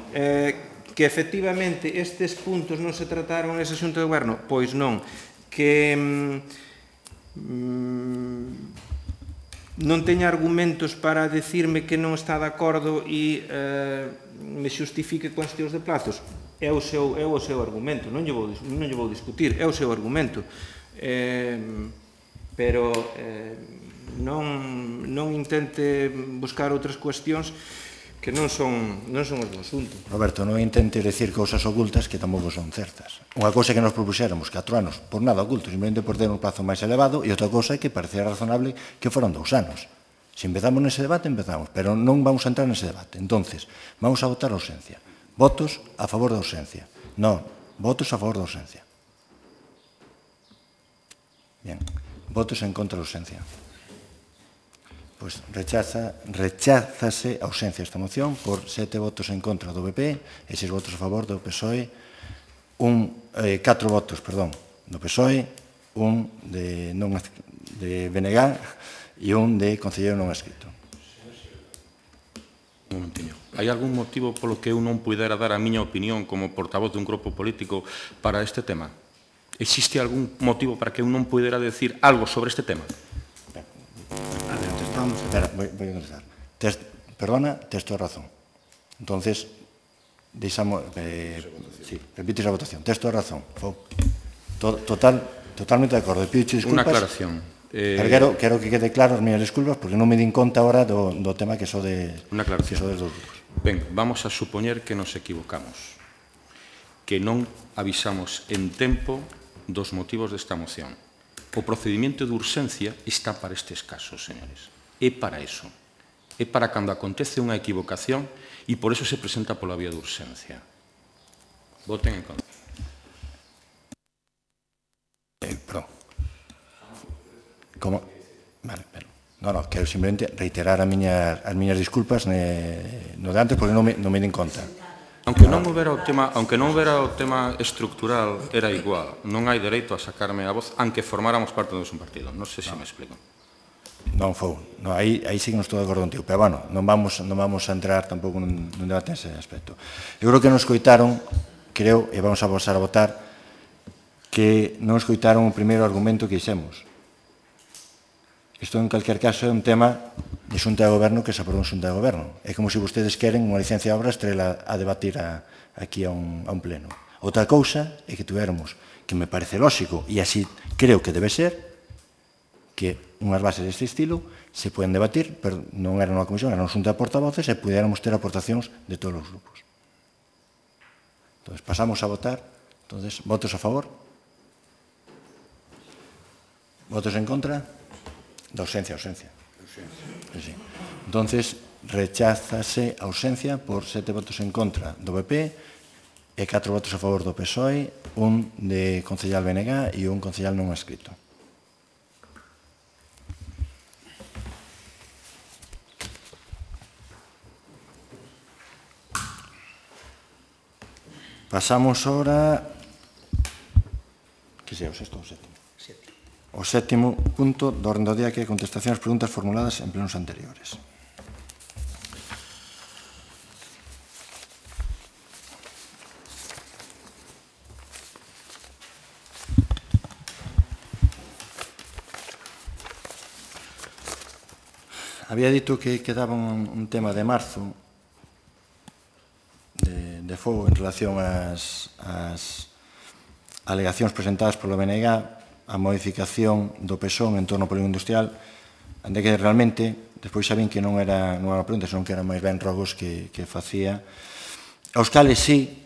G: que efectivamente estes puntos non se trataron nesa xunta de goberno? Pois non. Que non teña argumentos para decirme que non está de acordo e me xustifique cuestións de plazos. É o seu argumento, non lle vou discutir, é o seu argumento. Pero non intente buscar outras cuestións que non son os do asunto.
A: Roberto, non intentes decir cousas ocultas que tampouco son certas. Unha cousa que nos propuxéramos 4 anos, por nada oculto, simplemente por ter un plazo máis elevado, e outra cousa que parecía razonable que foran 2 anos. Se empezamos nese debate, empezamos, pero non vamos a entrar nese debate. Entonces, vamos a votar a ausencia. Votos a favor da ausencia. Non, votos a favor da ausencia. Bien, votos en contra da ausencia. Pois recházase a ausencia esta moción por 7 votos en contra do PP e 6 votos a favor do PSOE, 4 votos, perdón, do PSOE, un de BNG e un de concelleiro non escrito.
H: Un momentiño. Hai algún motivo polo que eu non pudera dar a miña opinión como portavoz dun grupo político para este tema? Existe algún motivo para que eu non pudera decir algo sobre este tema?
A: Espera, voy a contestar. Perdona, tes toda razón. Entonces, repites a votación. Tes toda razón. Totalmente de acordo. Pido disculpas.
H: Unha aclaración.
A: Pero quero que quede claro as miñas disculpas porque non me din conta agora do tema que sodes dos grupos.
H: Ben, vamos a supoñer que nos equivocamos, que non avisamos en tempo dos motivos desta moción. O procedimento de urxencia está para estes casos, señores. É para iso. É para cando acontece unha equivocación e por eso se presenta pola vía de urxencia. Voten en contra.
A: Perdón. Como? Vale, pero... Non, quero simplemente reiterar as miñas disculpas no de antes porque non me din conta.
H: Aunque non houbera o tema estructural, era igual. Non hai dereito a sacarme a voz, aunque formáramos parte do mesmo partido. Non sei se me explico.
A: Non foi. Aí sí que non estou de acordo contigo. Pero, bueno, non vamos a entrar tampouco nun debate nese aspecto. Eu creo que non escoitaron, e vamos a pasar a votar, que non escoitaron o primeiro argumento que hicemos. Isto, en calquer caso, é un tema de xunta de goberno que se aprobou en xunta de goberno. É como se vostedes queren unha licencia de obra estrela a debatir aquí a un pleno. Outra cousa é que tuéramos, que me parece lógico, e así creo que debe ser, que unhas bases deste estilo se poden debatir, pero non era unha comisión, era unha xunta de portavoces e pudiéramos ter aportacións de todos os grupos. Entón, pasamos a votar. Entón, votos a favor? Votos en contra? Da ausencia. Entón, recházase a ausencia por 7 votos en contra do PP e 4 votos a favor do PSOE, un de concellal BNG e un concellal non escrito. Pasamos ahora... Que sea o sexto ou o sétimo? O sétimo punto do orden do día, que é contestación ás preguntas formuladas en plenos anteriores. A Había dito que quedaba un tema de marzo de fogo en relación ás alegacións presentadas polo BNG a modificación do PSON en torno ao polígono industrial, ande que realmente, despois sabín que non era unha pregunta, senón que eran máis ben rogos que facía, aos cales sí,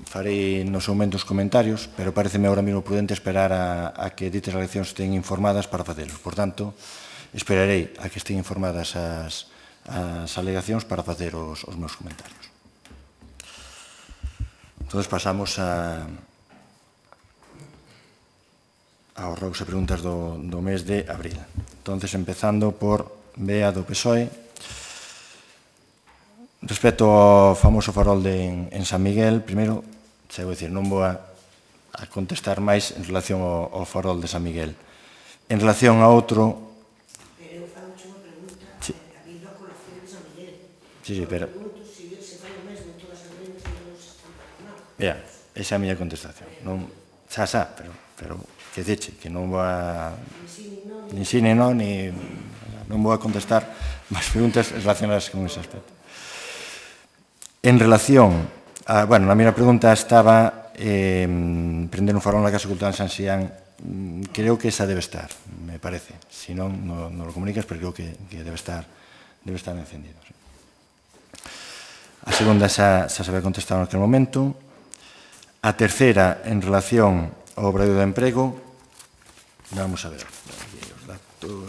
A: farei nos seu momento os comentarios, pero pareceme agora mesmo prudente esperar a que ditas alegacións estén informadas para facelos. Por tanto, esperarei a que estén informadas as alegacións para facer os meus comentarios. Entón, pasamos aos rogos e preguntas do mes de abril. Entón, empezando por Bea do PSOE. Respecto ao famoso farol en San Miguel, primeiro, xa vou dicir, non vou a contestar máis en relación ao farol de San Miguel. En relación a outro...
B: Pero eu fago unha pregunta, a vindo a colación de San Miguel.
A: Sí, pero...
B: Pregunto se fai o mesmo en todas as lendas que non se están pagando.
A: Esa é a miña contestación. Xa, pero que diche, que non vou a... Ni sí, ni non, non vou a contestar máis preguntas relacionadas con ese aspecto. En relación, bueno, na miña pregunta estaba prender un farol na Casa Cultural San Xián. Creo que esa debe estar, me parece. Si non, non lo comunicas, pero creo que debe estar encendido. Sí. A segunda xa se había contestado en aquel momento. A terceira, en relación ao obradoiro de emprego, vamos a ver aquí os datos.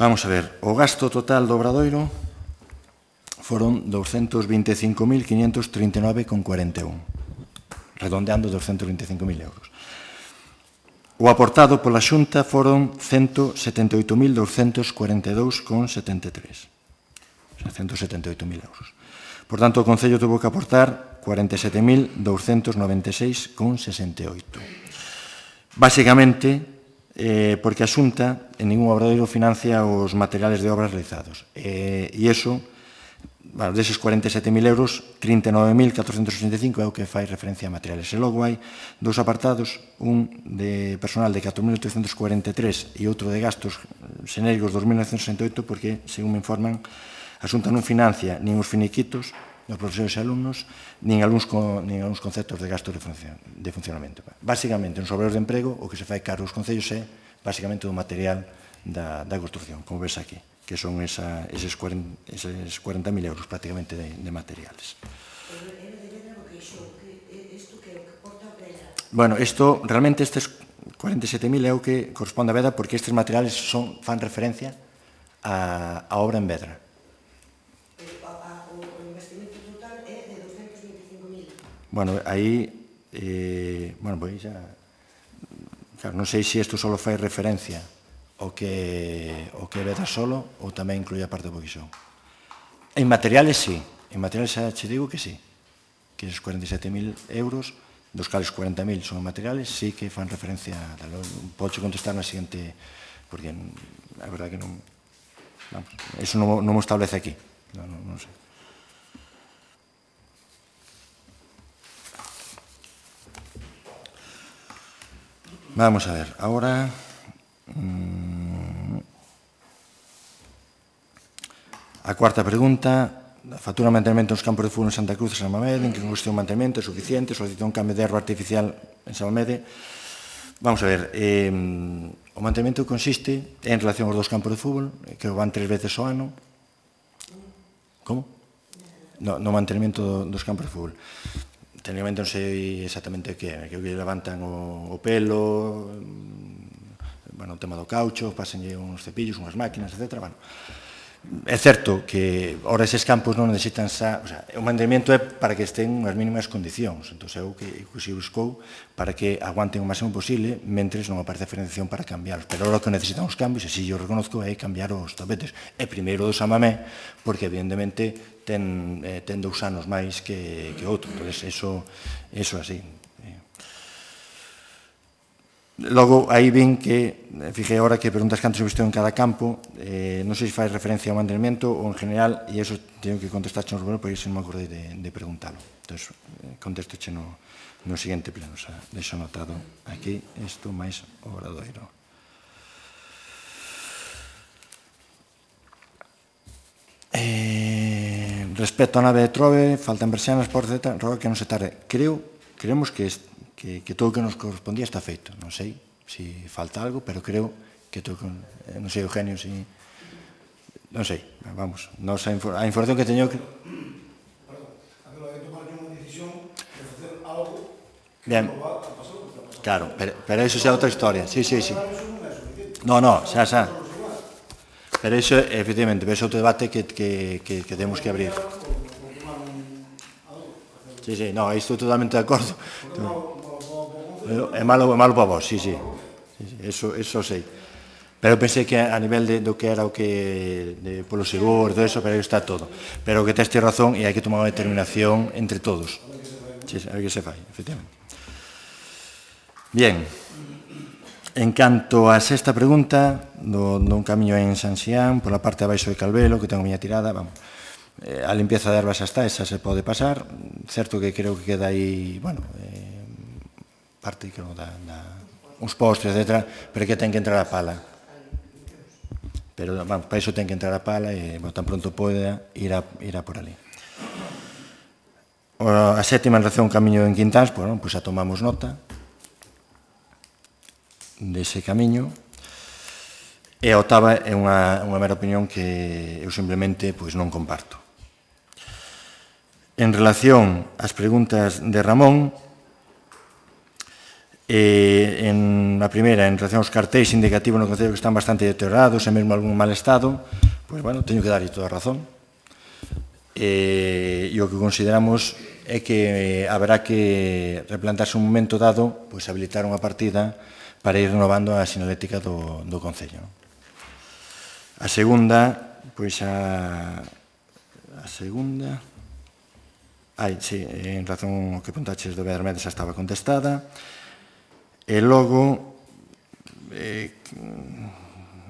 A: Vamos a ver, o gasto total do obradoiro foron 225.539,41, redondeando 225.000 euros. O aportado pola Xunta foron 178.242,73, o sea, 178.000 euros. Por tanto, o Concello tuvo que aportar 47.296,68. Básicamente, porque a Xunta en ningún obradoiro financia os materiales de obras realizados. E iso, deses 47.000 euros, 39.485 é o que fai referencia a materiales. E logo hai dous apartados, un de personal de 4.843 e outro de gastos xenéricos 2.968, porque, según me informan, a Xunta non financia nin os finiquitos dos profesores e alumnos, nin algúns conceptos de gastos de funcionamento. Básicamente, nos obradoiros de emprego, o que se fai cargo aos concellos é, básicamente, do material da construcción, como ves aquí, que son eses 40.000 euros prácticamente de materiales. Bueno, realmente estes 47.000 é o que corresponde a Vedra, porque estes materiales fan referencia á obra en Vedra. Bueno, aí, pois xa, claro, non sei se isto só fai referencia ao que Vedra solo ou tamén inclui a parte do Boquixón. En materiales, sí. En materiales xa che digo que sí. Que esos 47.000 euros, dos cales 40.000 son materiales, sí que fan referencia. Podo contestar na seguinte, porque a verdade que non... Eso non mo establece aquí. Non sei. Vamos a ver, ahora a cuarta pregunta, a factura de mantenimento dos campos de fútbol en Santa Cruz e San Mamede, en que consiste o mantenimento é suficiente, solicita un cambio de erva artificial en San Mamede. Vamos a ver, o mantenimento consiste en relación aos dos campos de fútbol, que van 3 veces ao ano. Como? No mantenimento dos campos de fútbol. Técnicamente non sei exactamente o que é, que levantan o pelo, o tema do caucho, pasenlle uns cepillos, unhas máquinas, etc. É certo que ora eses campos non necesitan xa, o sea, o mantenimento é para que estén unhas mínimas condicións, entón é o que se buscou para que aguanten o máximo posible mentres non aparece a financiación para cambiarlos. Pero ora o que necesitan os cambios, e si yo reconozco, é cambiar os tapetes. E primeiro do San Mamé, porque evidentemente ten 2 anos máis que outro, entón eso así. Logo, aí vin que, fijei agora que preguntas cantos investiu en cada campo, non sei se fai referencia ao mantenimiento ou en general, e iso teño que contestarche no primeiro, porque iso non me acordei de preguntalo. Entón, contestoche no seguinte pleno, xa deixo anotado aquí, isto máis o obradoiro. Respecto á nave de Trove, faltan persianas, portas, etc., roga que non se tarde. Creemos que todo o que nos correspondía está feito. Non sei se falta algo, pero creo que todo, non sei, Eugenio, si... Non sei, vamos, a información que teño... Bien, claro, pero iso xa é outra historia. Sí. No, xa. Pero iso, efectivamente, é outro debate que temos que abrir. Sí, no, estou totalmente de acordo. É malo para vos, sí. Eso sei. Pero pensei que a nivel do que era o que polo seguro, todo eso, pero aí está todo. Pero que teste razón e hai que tomar unha determinación entre todos. Sí, a ver que se fai, efectivamente. Bien. En canto a sexta pregunta, dun camiño en San Xián, pola parte de abaixo de Calvelo, que tengo a miña tirada, vamos. A limpieza de ervas xa está, esa se pode pasar. Certo que creo que queda aí, bueno, parte, creo, uns postres, etc., pero que ten que entrar a pala. Pero, vamos, para iso ten que entrar a pala e, tan pronto poida, irá por ali. A sétima en relación ao camiño en Quintáns, pois xa tomamos nota dese camiño. E a octava é unha mera opinión que eu simplemente non comparto. En relación ás preguntas de Ramón, en a primeira, en relación aos cartéis indicativos no Concello que están bastante deteriorados e mesmo algún mal estado, pois, teño que darlle toda a razón. E o que consideramos é que haberá que replantarse un momento dado, pois habilitar unha partida para ir renovando a sinalética do Concello. A segunda, pois a segunda... sí, en razón ao que apuntaches do Bedarmedes xa estaba contestada. E logo,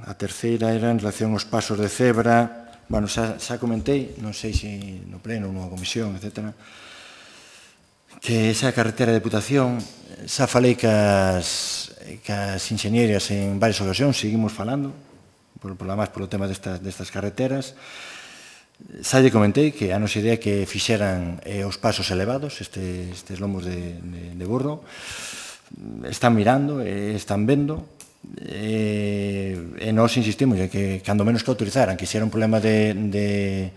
A: a terceira era en relación aos pasos de cebra. Bueno, xa comentei, non sei se no pleno, nunha comisión, etc., que esa carretera de Deputación, xa falei cas inxenieras en varias ocasións, seguimos falando, polo tema destas carreteras. Xa lle comentei que a nosa idea que fixeran os pasos elevados, estes lomos de burro, están mirando, están vendo, e nós insistimos en que, cando menos que autorizaran, que se era un problema de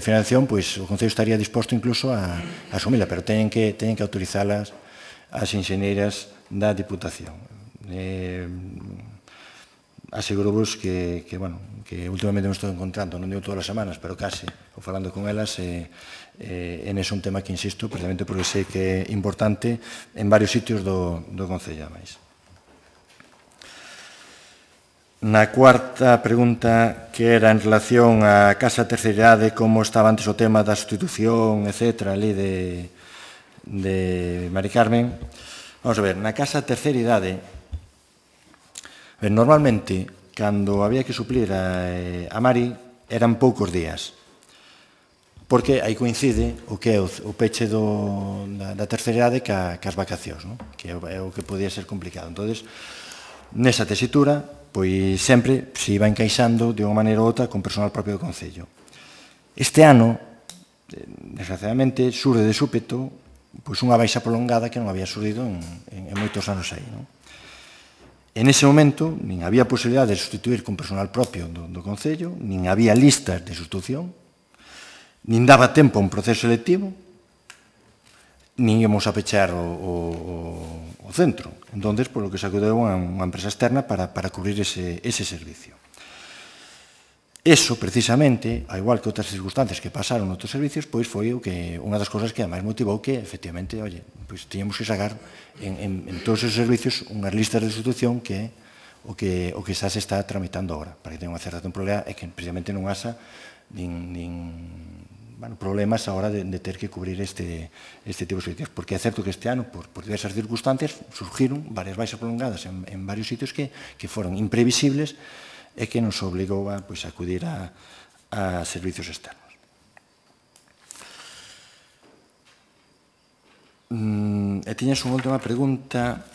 A: financiación, pois o Concello estaría disposto incluso a asumila, pero teñen que autorizalas as inxenieras da Diputación. Aseguro-vos que últimamente me estou encontrando, non digo todas as semanas, pero case, ou falando con elas, en ese un tema que insisto, precisamente porque sei que é importante en varios sitios do Concello, máis. Na cuarta pregunta, que era en relación á Casa Terceira Idade, como estaba antes o tema da sustitución, etc., ali de Mari Carmen. Vamos a ver, na Casa Terceira Idade, normalmente, cando había que suplir a Mari, eran poucos días, porque aí coincide o que é o peche da terceira idade cas vacacións, que é o que podía ser complicado. Entón, nesa tesitura, pois sempre se iba encaixando de unha maneira ou outra con personal propio do Concello. Este ano, desgraciadamente, surde de súpeto unha baixa prolongada que non había surdido en moitos anos aí. En ese momento, nin había posibilidade de sustituir con personal propio do Concello, nin había listas de sustitución, nin daba tempo a un proceso selectivo, nin íamos a pechar o centro. Entón, por lo que se acudeu a unha empresa externa para cubrir ese servicio. Eso, precisamente, ao igual que outras circunstancias que pasaron noutros servicios, pois foi unha das cousas que ademais motivou que, efectivamente, pois tiñamos que sacar en todos os servicios unhas listas de sustitución que é o que xa se está tramitando agora, para que tenga unha certa temporalidade e que precisamente non haxa nin problemas a hora de ter que cubrir este tipo de servicios. Porque é certo que este ano, por diversas circunstancias, surgiron varias baixas prolongadas en varios sitios que foron imprevisibles e que nos obligou a acudir a servicios externos. E tiñas unha última pregunta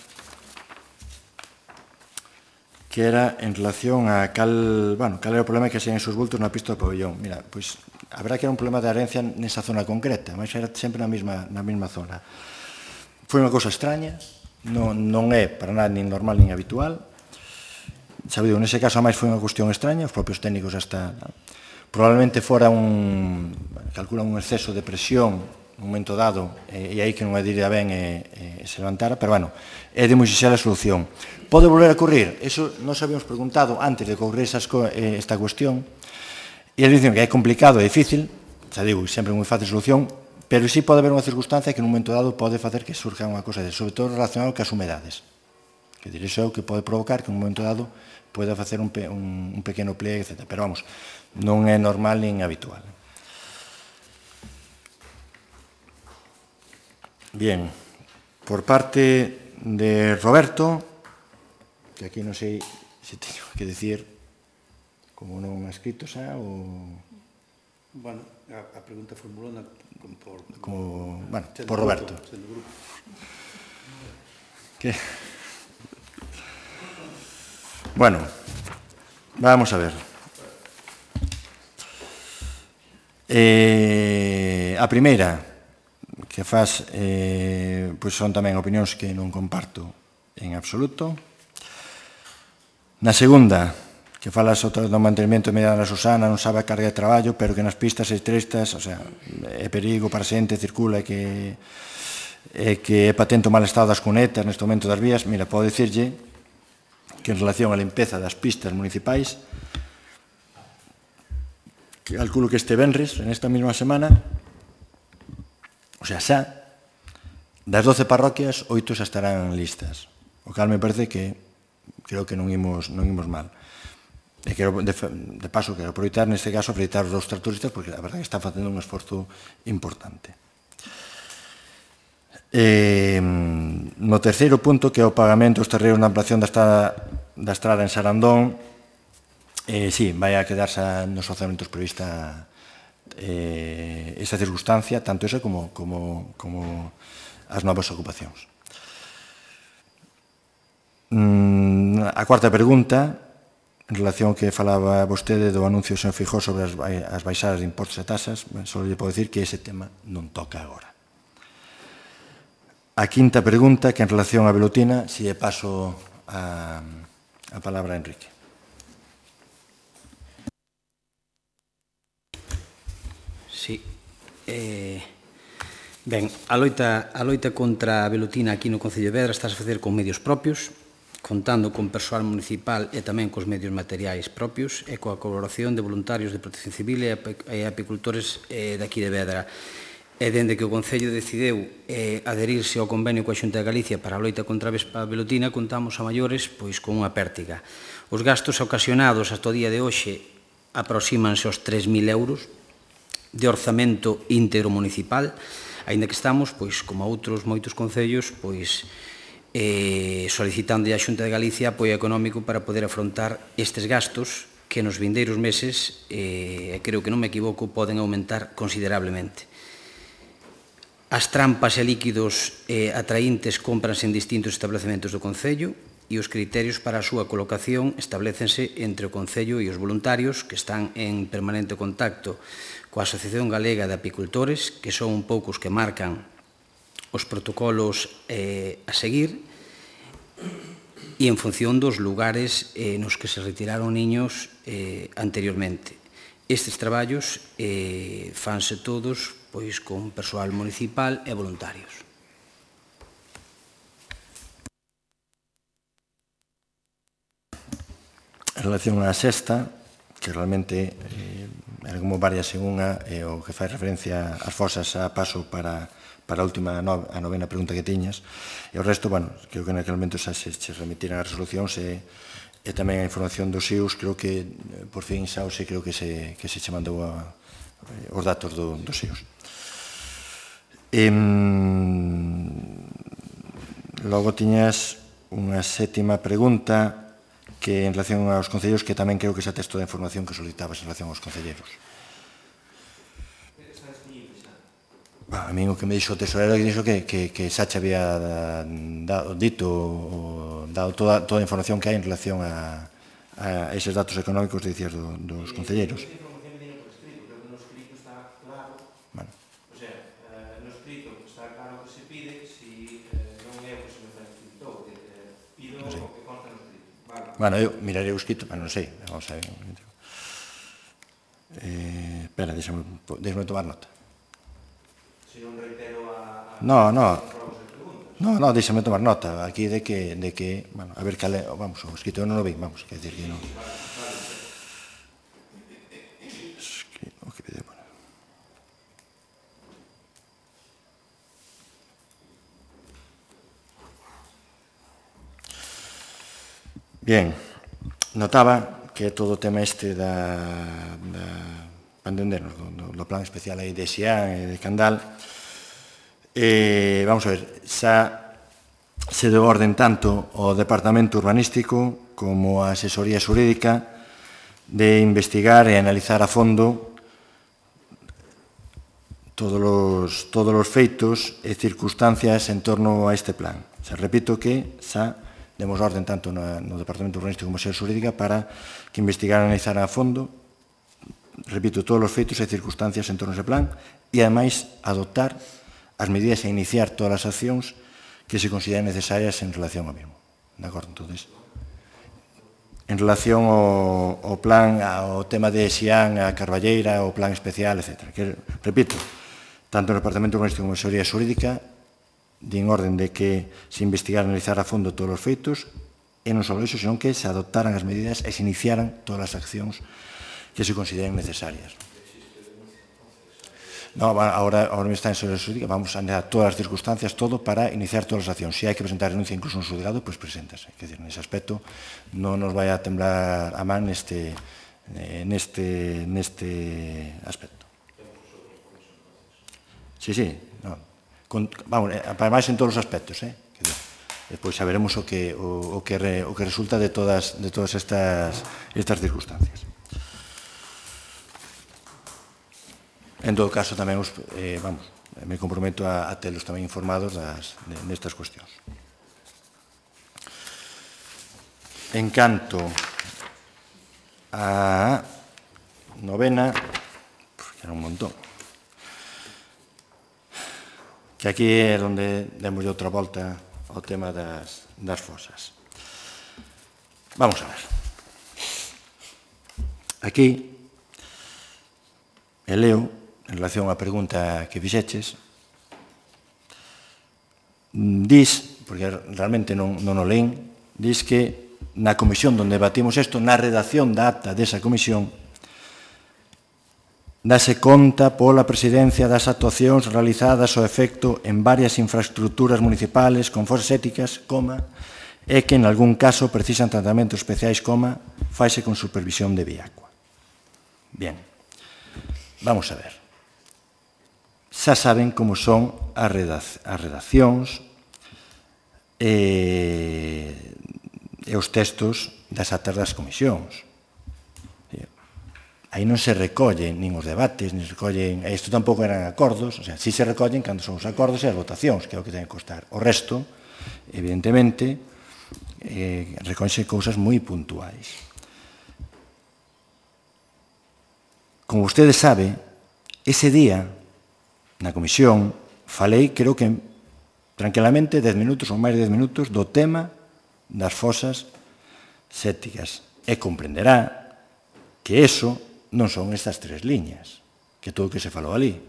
A: que era en relación a cal era o problema que se en esos bultos na pista do pabellón. Mira, pois, habrá que era un problema de herencia nesa zona concreta, mas era sempre na mesma zona. Foi unha cousa extraña, non é para nada nin normal nin habitual. Sabido, nese caso, a máis foi unha cuestión extraña, os propios técnicos hasta... Probablemente fora calculan un exceso de presión un momento dado, e aí que non a diría ben e se levantara, pero, bueno, é de moi sinxela a solución. Pode volver a ocurrir? Eso nos habíamos preguntado antes de ocurrir esta cuestión, e eles dicen que é complicado e difícil, xa digo, sempre moi fácil solución, pero sí pode haber unha circunstancia que nun momento dado pode facer que surja unha cosa de, sobre todo relacionado cas humedades. Que dir, iso é o que pode provocar que nun momento dado pode facer un pequeno pliegue, etc. Pero, vamos, non é normal nin habitual. Bien, por parte de Roberto, que aquí non sei se teño que decir como non ha escrito xa ou...
C: Bueno, a pregunta formulona
A: por Roberto. Que... Bueno, vamos a ver. A primeira que faz pois son tamén opinións que non comparto en absoluto. Na segunda, que falas do mantenimento mediante a Susana, non sabe a carga de traballo, pero que nas pistas estrestas, o sea, é perigo para a xente, circula e que é patente o mal estado das cunetas neste momento das vías. Mira, podo dicirlle que en relación á limpeza das pistas municipais, que calculo que este venres, en esta mesma semana, o sea, xa, das 12 parroquias, 8 xa estarán listas. O cal me parece que creo que non imos mal. E quero, de paso, quero aproveitar, neste caso, felicitar os tractoristas, porque a verdade está facendo un esforzo importante. No terceiro punto, que é o pagamento dos terreos na ampliación da estrada en Sarandón, sí, vai a quedarse nos orzamentos prevista esa circunstancia, tanto esa como as novas ocupacións. A cuarta pregunta, en relación que falaba vostede do anuncio do señor Feijóo sobre as baixadas de impostos e tasas, só lle podo dicir que ese tema non toca agora. A quinta pregunta, que en relación a Velutina, si lle paso a palabra a Enrique.
I: Sí. Ben, a loita contra a velutina aquí no Concello de Vedra está a facer con medios propios, contando con persoal municipal e tamén cos medios materiais propios e coa colaboración de voluntarios de Protección Civil e apicultores daqui de Vedra. E dende que o Concello decidiu adherirse ao convenio coa Xunta de Galicia para a loita contra a velutina, contamos a maiores pois con unha pértiga. Os gastos ocasionados hasta o día de hoxe aproxímanse aos 3.000 euros de orzamento íntegro municipal, aínda que estamos, pois, como outros moitos concellos, pois, solicitando a Xunta de Galicia apoio económico para poder afrontar estes gastos que nos vindeiros meses, creo que non me equivoco, poden aumentar considerablemente. As trampas e líquidos atraíntes cómpranse en distintos establecementos do Concello e os criterios para a súa colocación establécense entre o Concello e os voluntarios que están en permanente contacto coa Asociación Galega de Apicultores, que son un pouco os que marcan os protocolos a seguir, e en función dos lugares nos que se retiraron niños anteriormente. Estes traballos fanse todos pois con persoal municipal e voluntarios.
A: En relación á sexta, que realmente era como varias en unha, o que fai referencia ás fosas a paso para a última, a novena pregunta que tiñas, e o resto, bueno, creo que naquele momento xa se remitiran as resolucións e tamén a información dos IUS, creo que por fin xa creo que se mandou a os datos dos SEOs. Logo tiñas unha sétima pregunta que en relación aos concelleiros, que tamén creo que ese texto de información que solicitabas en relación aos concelleiros. A mí o que me dixo o tesorero dixo que Sacha había dado toda a información que hai en relación a eses datos económicos de dicías dos concelleiros. Bueno, eu mirarei o escrito, pero non sei. Vamos a ver. Espera, deixame tomar nota.
G: Se non reitero a...
A: No, déxame tomar nota aquí de que, bueno, a ver cal é, vamos, o escrito non o vi, vamos, quer dizer que non. O que pide poner. Bien, notaba que todo o tema este para entendernos, do plan especial aí de Xián e de Candal, vamos a ver, xa se deu orden tanto ao Departamento Urbanístico como a Asesoría Xurídica de investigar e analizar a fondo todos os feitos e circunstancias en torno a este plan. Se repito que xa demos orden tanto no Departamento Urbanístico como a Asesoría Xurídica para que investigaran e analizaran a fondo, repito, todos os feitos e circunstancias en torno a ese plan e, ademais, adoptar as medidas e iniciar todas as accións que se consideren necesarias en relación ao mesmo. De acordo? Entonces, en relación ao plan, ao tema de Xián, a Carballeira, o plan especial, etc. Que, repito, tanto no Departamento Urbanístico como a Asesoría Xurídica din orden de que se investigara e analizar a fondo todos os feitos e non só iso, senón que se adoptaran as medidas e se iniciaran todas as accións que se consideren necesarias. No, ahora me está en Asesoría Xurídica, vamos a analizar todas as circunstancias, todo para iniciar todas as accións. Se hai que presentar renuncia incluso un xulgado, pois preséntase. Quer dizer, nese aspecto non nos vai a temblar a man neste aspecto. Sí, no. Vamos, para máis en todos os aspectos, Depois saberemos o que resulta de todas estas circunstancias. En todo caso, tamén me comprometo a telos tamén informados nestas cuestións. En canto a novena, que era un montón, que aquí é onde demos outra volta ao tema das fosas. Vamos a ver. Aquí, leo, en relación á pregunta que fixeches, dis, porque realmente non o leen, dis que na comisión onde debatimos isto, na redacción da acta desa comisión, dase conta pola presidencia das actuacións realizadas ao efecto en varias infraestructuras municipales con fosas éticas, e que en algún caso precisan tratamentos especiais, faise con supervisión de Viacua. Bien, vamos a ver. Xa saben como son as redaccións e os textos das actas das comisións. Aí non se recollen nin os debates, nin se recollen... Isto tampouco eran acordos, o sea, si se recollen cando son os acordos e as votacións, que é o que ten que constar. O resto, evidentemente, recollense cousas moi puntuais. Como vostede sabe, ese día, na comisión, falei, creo que tranquilamente, 10 minutos ou máis de 10 minutos, do tema das fosas sépticas. E comprenderá que eso non son estas 3 liñas, que todo o que se falou ali.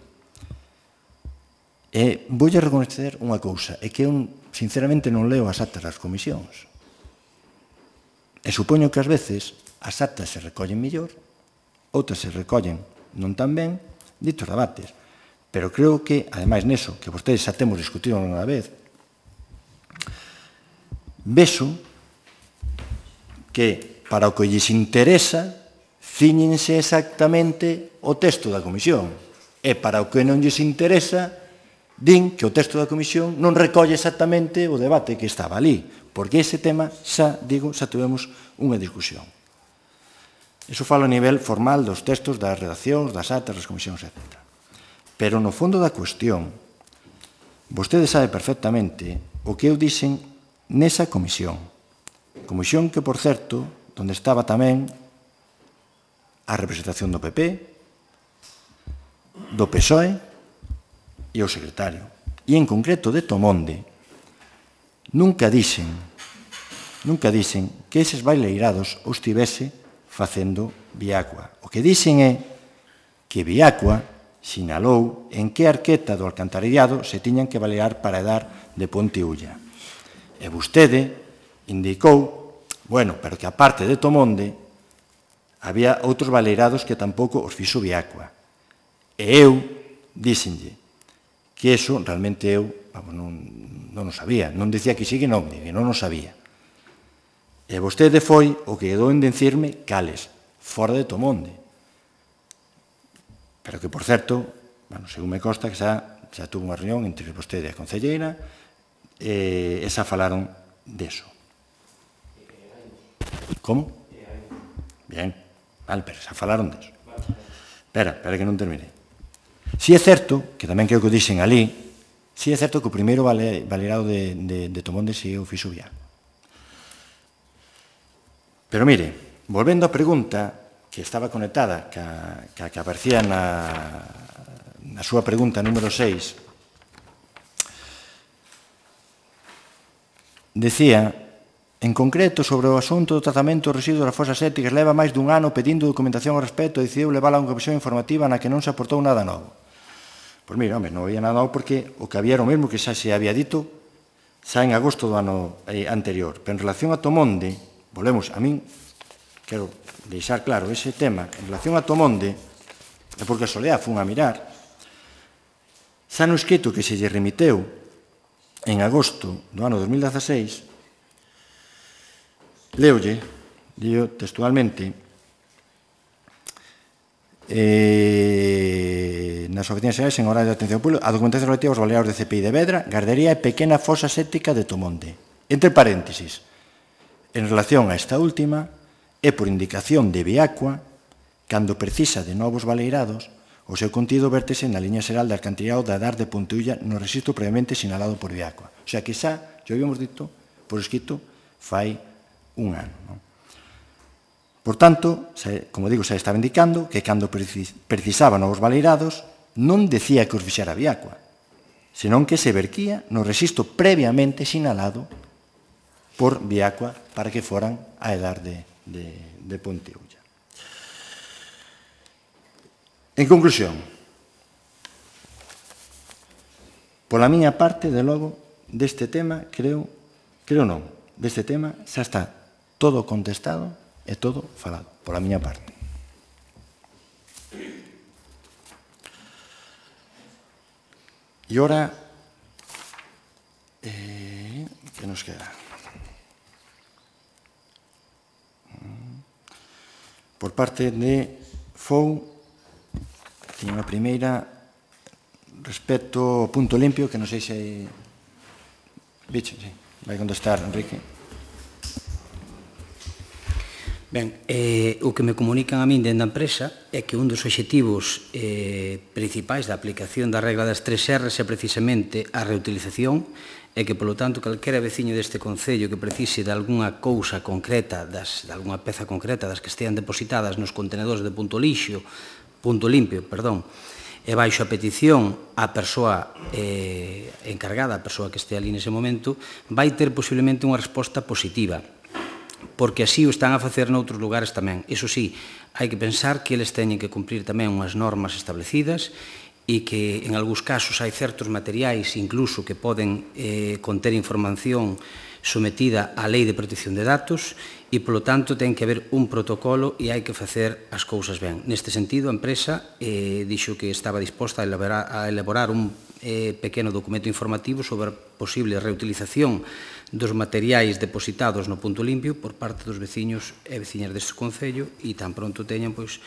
A: E voulle reconocer unha cousa, é que eu, sinceramente, non leo as actas das comisións. E supoño que ás veces as actas se recollen mellor, outras se recollen non tan ben, ditos debates. Pero creo que, ademais neso, que vostedes xa temos discutido unha vez, vexo que para o que lles interesa ciñense exactamente o texto da comisión. E para o que non lles interesa, din que o texto da comisión non recolle exactamente o debate que estaba ali, porque ese tema xa tuvemos unha discusión. Iso falo a nivel formal dos textos, das redaccións, das actas, das comisións, etc. Pero no fondo da cuestión, vostede sabe perfectamente o que eu dixen nesa comisión. Comisión que, por certo, onde estaba tamén a representación do PP, do PSOE e o secretario. E, en concreto, de Tomonde, nunca dixen que eses baileirados os tivese facendo Viacua. O que dixen é que Viacua sinalou en que arqueta do alcantarillado se tiñan que balear para dar de Ponte Ulla. E vostede indicou, bueno, pero que aparte de Tomonde había outros baleirados que tampouco os fixo Viacua. E eu díxenlle que eso realmente eu non o sabía, non dicía que sí que non o sabía. E vostede foi o que quedou en dicirme cales, fora de Tomonde. Pero que, por certo, según me consta, que xa tuvo unha reunión entre vostede e a concelleira e xa falaron deso. Como? Bien, vale, pero xa falaron deso. Espera que non termine. Si é certo, que tamén creo que o dixen ali, si é certo que o primeiro baleirado de Tomonde si o fixo Viacua. Pero mire, volvendo á pregunta que estaba conectada, que aparecía na súa pregunta número 6, decía, en concreto, sobre o asunto do tratamento dos residuos das fosas sépticas, leva máis dun ano pedindo documentación ao respecto e decidiu levar a unha comisión informativa na que non se aportou nada novo. Pois mira, non había nada novo porque o que había era o mesmo que xa se había dito xa en agosto do ano anterior. Pero en relación a Tomonde, volvemos, a min quero deixar claro ese tema, en relación a Tomonde, é porque a Soleá fun a mirar, xa no escrito que se lle remiteu en agosto do ano 2016, leolle, digo textualmente, nas oficinas xerais en horario de atención pública, a documentación relativa aos baleados de CPI de Vedra, Gardería e pequena fosa séptica de Tomonde. Entre paréntesis, en relación a esta última, é por indicación de Viacua, cando precisa de novos baleirados, o seu contido vértese na liña xeral de alcantarillado da Dar de Ponte Ulla no rexistro previamente sinalado por Viacua. O sea que xa, yo habíamos dito, por escrito, fai un ano. Non? Por tanto, como digo, xa estaba indicando que cando precisaba novos baleirados non decía que os fixera Viacua, senón que se verquía no rexistro previamente sinalado por Viacua para que foran a Edar de Ponte Ulla. En conclusión, pola miña parte, de logo, deste tema, creo non, deste tema xa está todo contestado e todo falado, pola miña parte. E ora, que nos queda? Por parte de FOU, tiña unha primeira respecto ao punto limpio, que non sei se... Bicho, sí, vai contestar, Enrique.
I: Ben, o que me comunican a min dentro da empresa é que un dos obxectivos principais da aplicación da regla das 3 R's é precisamente a reutilización e que, polo tanto, calquera veciño deste concello que precise de algunha cousa concreta, de algunha peza concreta das que estean depositadas nos contenedores de punto limpio, e baixo a petición a persoa encargada, a persoa que este ali nese momento, vai ter posiblemente unha resposta positiva, porque así o están a facer noutros lugares tamén. Iso sí, hai que pensar que eles teñen que cumprir tamén unhas normas establecidas e que en algúns casos hai certos materiais incluso que poden conter información sometida á Lei de Protección de Datos e, polo tanto, ten que haber un protocolo e hai que facer as cousas ben. Neste sentido, a empresa dixo que estaba disposta a elaborar un pequeno documento informativo sobre a posible reutilización dos materiais depositados no punto limpio por parte dos veciños e veciñas deste Concello, e tan pronto teñan, pois,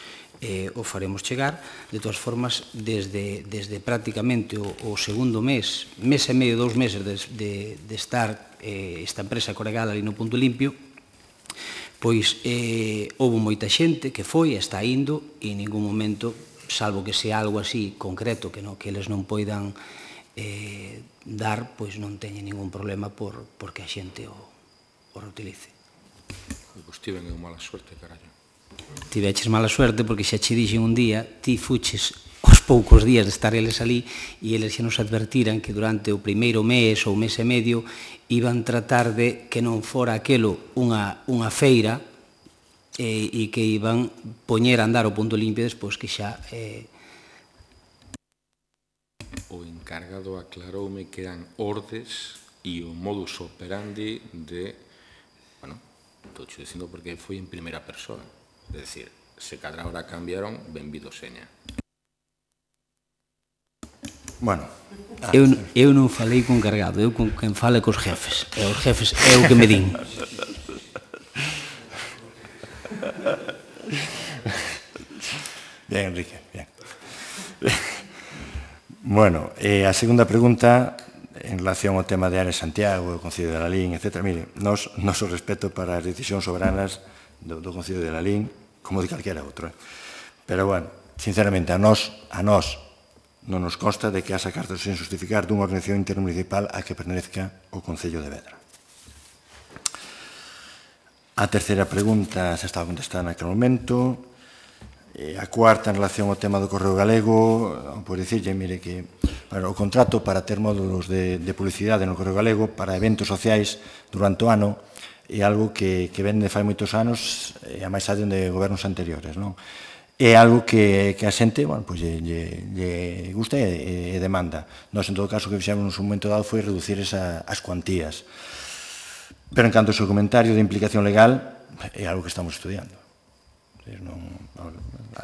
I: o faremos chegar. De todas formas, desde prácticamente o segundo mes e medio, 2 meses de estar esta empresa Coregal ali no punto limpio, pois houve moita xente que foi e está indo, e en ningún momento, salvo que sea algo así concreto que eles non poidan dar, pois non teñen ningún problema porque a xente o reutilice.
E: Pois tiven eu mala suerte, carallo.
I: Tiveches mala suerte porque xa che dixen un día, ti fuches aos poucos días de estar eles ali e eles xa nos advertiran que durante o primeiro mes ou mes e medio iban tratar de que non fora aquelo unha feira e que iban poñer a andar o punto limpio despois que xa...
E: O encargado aclaroume que eran ordes e o modus operandi de... Bueno, estou che dicindo porque foi en primeira persoa. É dicir, se cada hora cambiaron, benvido seña.
A: Bueno.
I: Eu non falei con encargado, eu con quen fale cos jefes. E os jefes é o que me din.
A: Bien, Enrique, bien. Bueno, a segunda pregunta en relación ao tema de Ares Santiago, o Concello de Lalín, etc. Mire, noso respeto para as decisións soberanas do Concello de Lalín, como de calquera outro. Pero, bueno, sinceramente, a nós non nos consta de que haxa cartas sen justificar dunha organización intermunicipal a que pertenezca o Concello de Vedra. A terceira pregunta se estaba contestada naquele momento. A cuarta, en relación ao tema do Correo Galego, por dicirlle, mire, que o contrato para ter módulos de publicidade no Correo Galego para eventos sociais durante o ano é algo que ven de fai moitos anos e a máis allá de gobernos anteriores, non? É algo que a xente, bueno, pois lle gusta e demanda. Nós, en todo caso, o que fixemos nun momento dado foi reducir as cuantías. Pero, en canto ao seu comentario de implicación legal, é algo que estamos estudiando.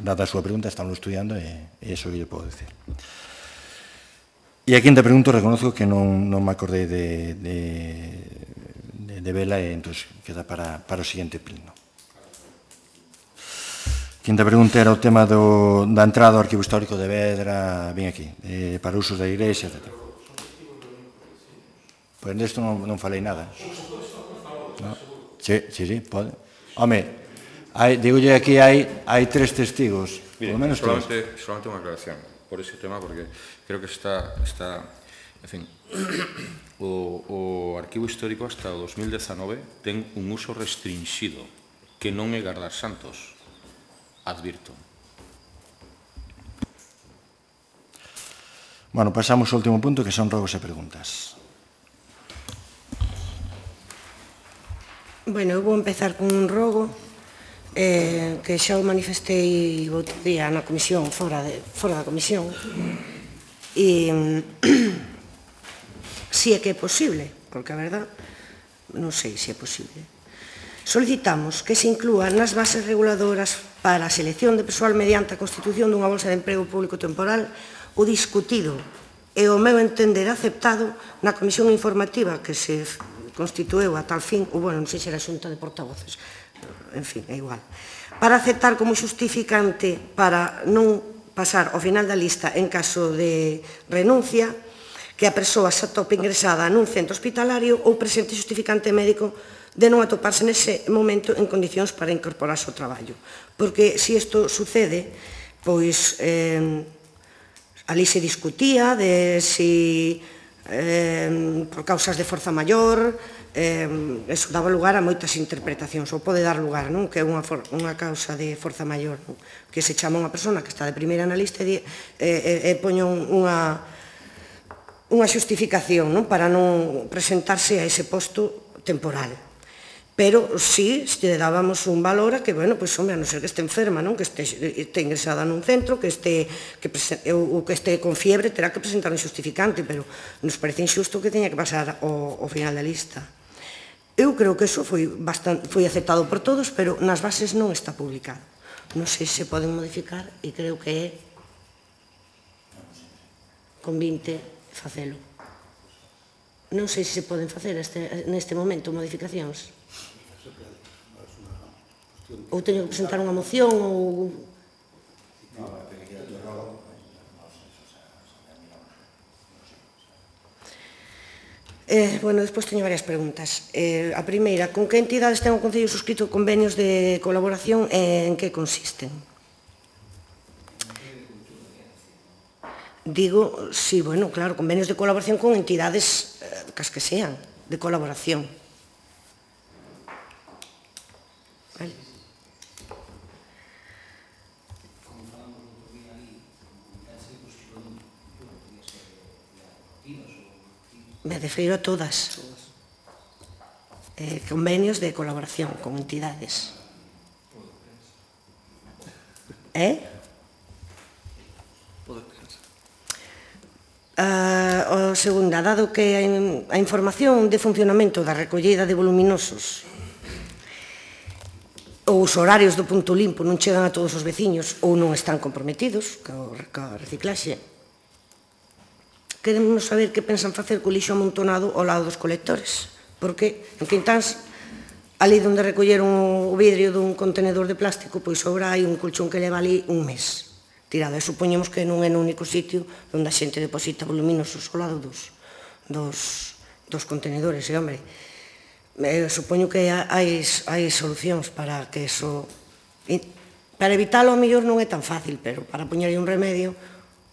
A: Dada a súa pregunta, estamos estudiando e iso que lle podo dicir. E a quinta pregunta, reconozco que non me acordei de vela e entón queda para o seguinte pleno. Quinta pregunta era o tema da entrada ao Arquivo Histórico de Vedra, ben aquí, para usos da Igrexa, etc. Pois desto non falei nada. Sí, pode. Home, digolle aquí hai 3 testigos.
E: Mire, solamente unha aclaración por ese tema, porque creo que está en fin, o Arquivo Histórico hasta o 2019 ten un uso restringido, que non é gardar santos, advirto.
A: Bueno, pasamos ao último punto, que son rogos e preguntas.
B: Bueno, eu vou empezar con un rogo que xa o manifestei outro día na comisión, fora da comisión, e si é que é posible, porque a verdad non sei se é posible. Solicitamos que se inclúa nas bases reguladoras para a selección de persoal mediante a constitución dunha bolsa de emprego público temporal o discutido e o meu entender aceptado na comisión informativa que se constitueu a tal fin, ou, bueno, non sei se era a xunta de portavoces, en fin, é igual, para aceptar como justificante para non pasar ao final da lista en caso de renuncia que a persoa se atope ingresada nun centro hospitalario ou presente justificante médico de non atoparse nese momento en condicións para incorporarse ao traballo. Porque se isto sucede, pois ali se discutía de si por causas de forza maior, eso daba lugar a moitas interpretacións, ou pode dar lugar, non? Que é unha causa de forza maior, que se chama unha persona que está de primeira na lista e poño unha xustificación para non presentarse a ese posto temporal. Pero si dábamos un valor a que, bueno, pois, home, a non ser que este enferma, non? Que este ingresada nun centro, que este con fiebre, terá que presentar un xustificante, pero nos parece injusto que teña que pasar ao final da lista. Eu creo que eso foi aceptado por todos, pero nas bases non está publicado. Non sei se poden modificar e creo que é con 20 facelo. Non sei se se poden facer neste momento modificacións. Ou teño que presentar unha moción ou... Bueno, despois teño varias preguntas. A primeira, con que entidades ten o Concello suscrito convenios de colaboración e en que consisten? Digo, sí, bueno, claro, convenios de colaboración con entidades cas que sean, de colaboración. Vale. Me refiro a todas. Convenios de colaboración con entidades. O segunda, dado que a información de funcionamento da recollida de voluminosos ou os horarios do punto limpo non chegan a todos os veciños ou non están comprometidos coa reciclaxe, queremos saber que pensan facer co lixo amontonado ao lado dos colectores, porque en Quintáns, ali onde recolleron o vidrio dun contenedor de plástico, pois sobra hai un colchón que leva ali un mes tirado, e supoñemos que non é no único sitio onde a xente deposita voluminosos ao lado dos contenedores, e hombre, supoño que hai solucións para que eso, para evitalo ao mellor non é tan fácil, pero para poñerlle un remedio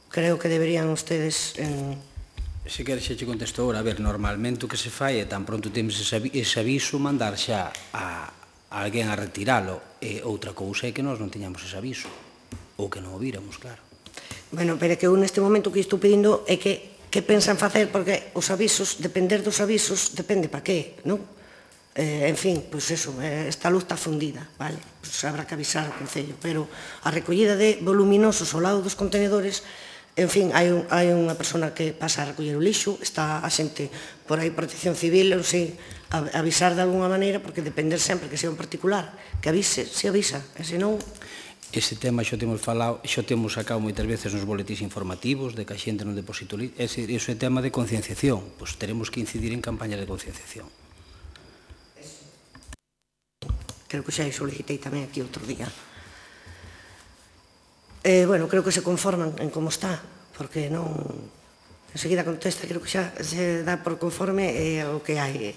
B: creo que deberían ustedes...
I: Se queres xa che contesto agora, a ver, normalmente o que se fai é tan pronto temos ese aviso mandar xa a alguén a retiralo, e outra cousa é que nós non teñamos ese aviso, ou que non o víramos, claro.
B: Bueno, pero é que eu neste momento o que estou pedindo é que pensan facer, porque os avisos, depender dos avisos, depende para qué, non? En fin, pois eso, esta luz está fundida, vale? Pois habrá que avisar ao Concello, pero a recollida de voluminosos ao lado dos contenedores, en fin, hai unha persona que pasa a recoller o lixo, está a xente por aí, Protección Civil, non sei, avisar de alguna maneira, porque depender sempre que sea un particular, que avise, se avisa, e senón...
I: Ese tema xo temos falado, xo temos sacado moitas veces nos boletís informativos de que a xente non deposita o lixo, ese é tema de concienciación, pois teremos que incidir en campañas de concienciación.
B: Creo que xa solicitei tamén aquí outro día. Bueno, creo que se conforman en como está, porque non... Enseguida contesta, creo que xa se dá por conforme o que hai.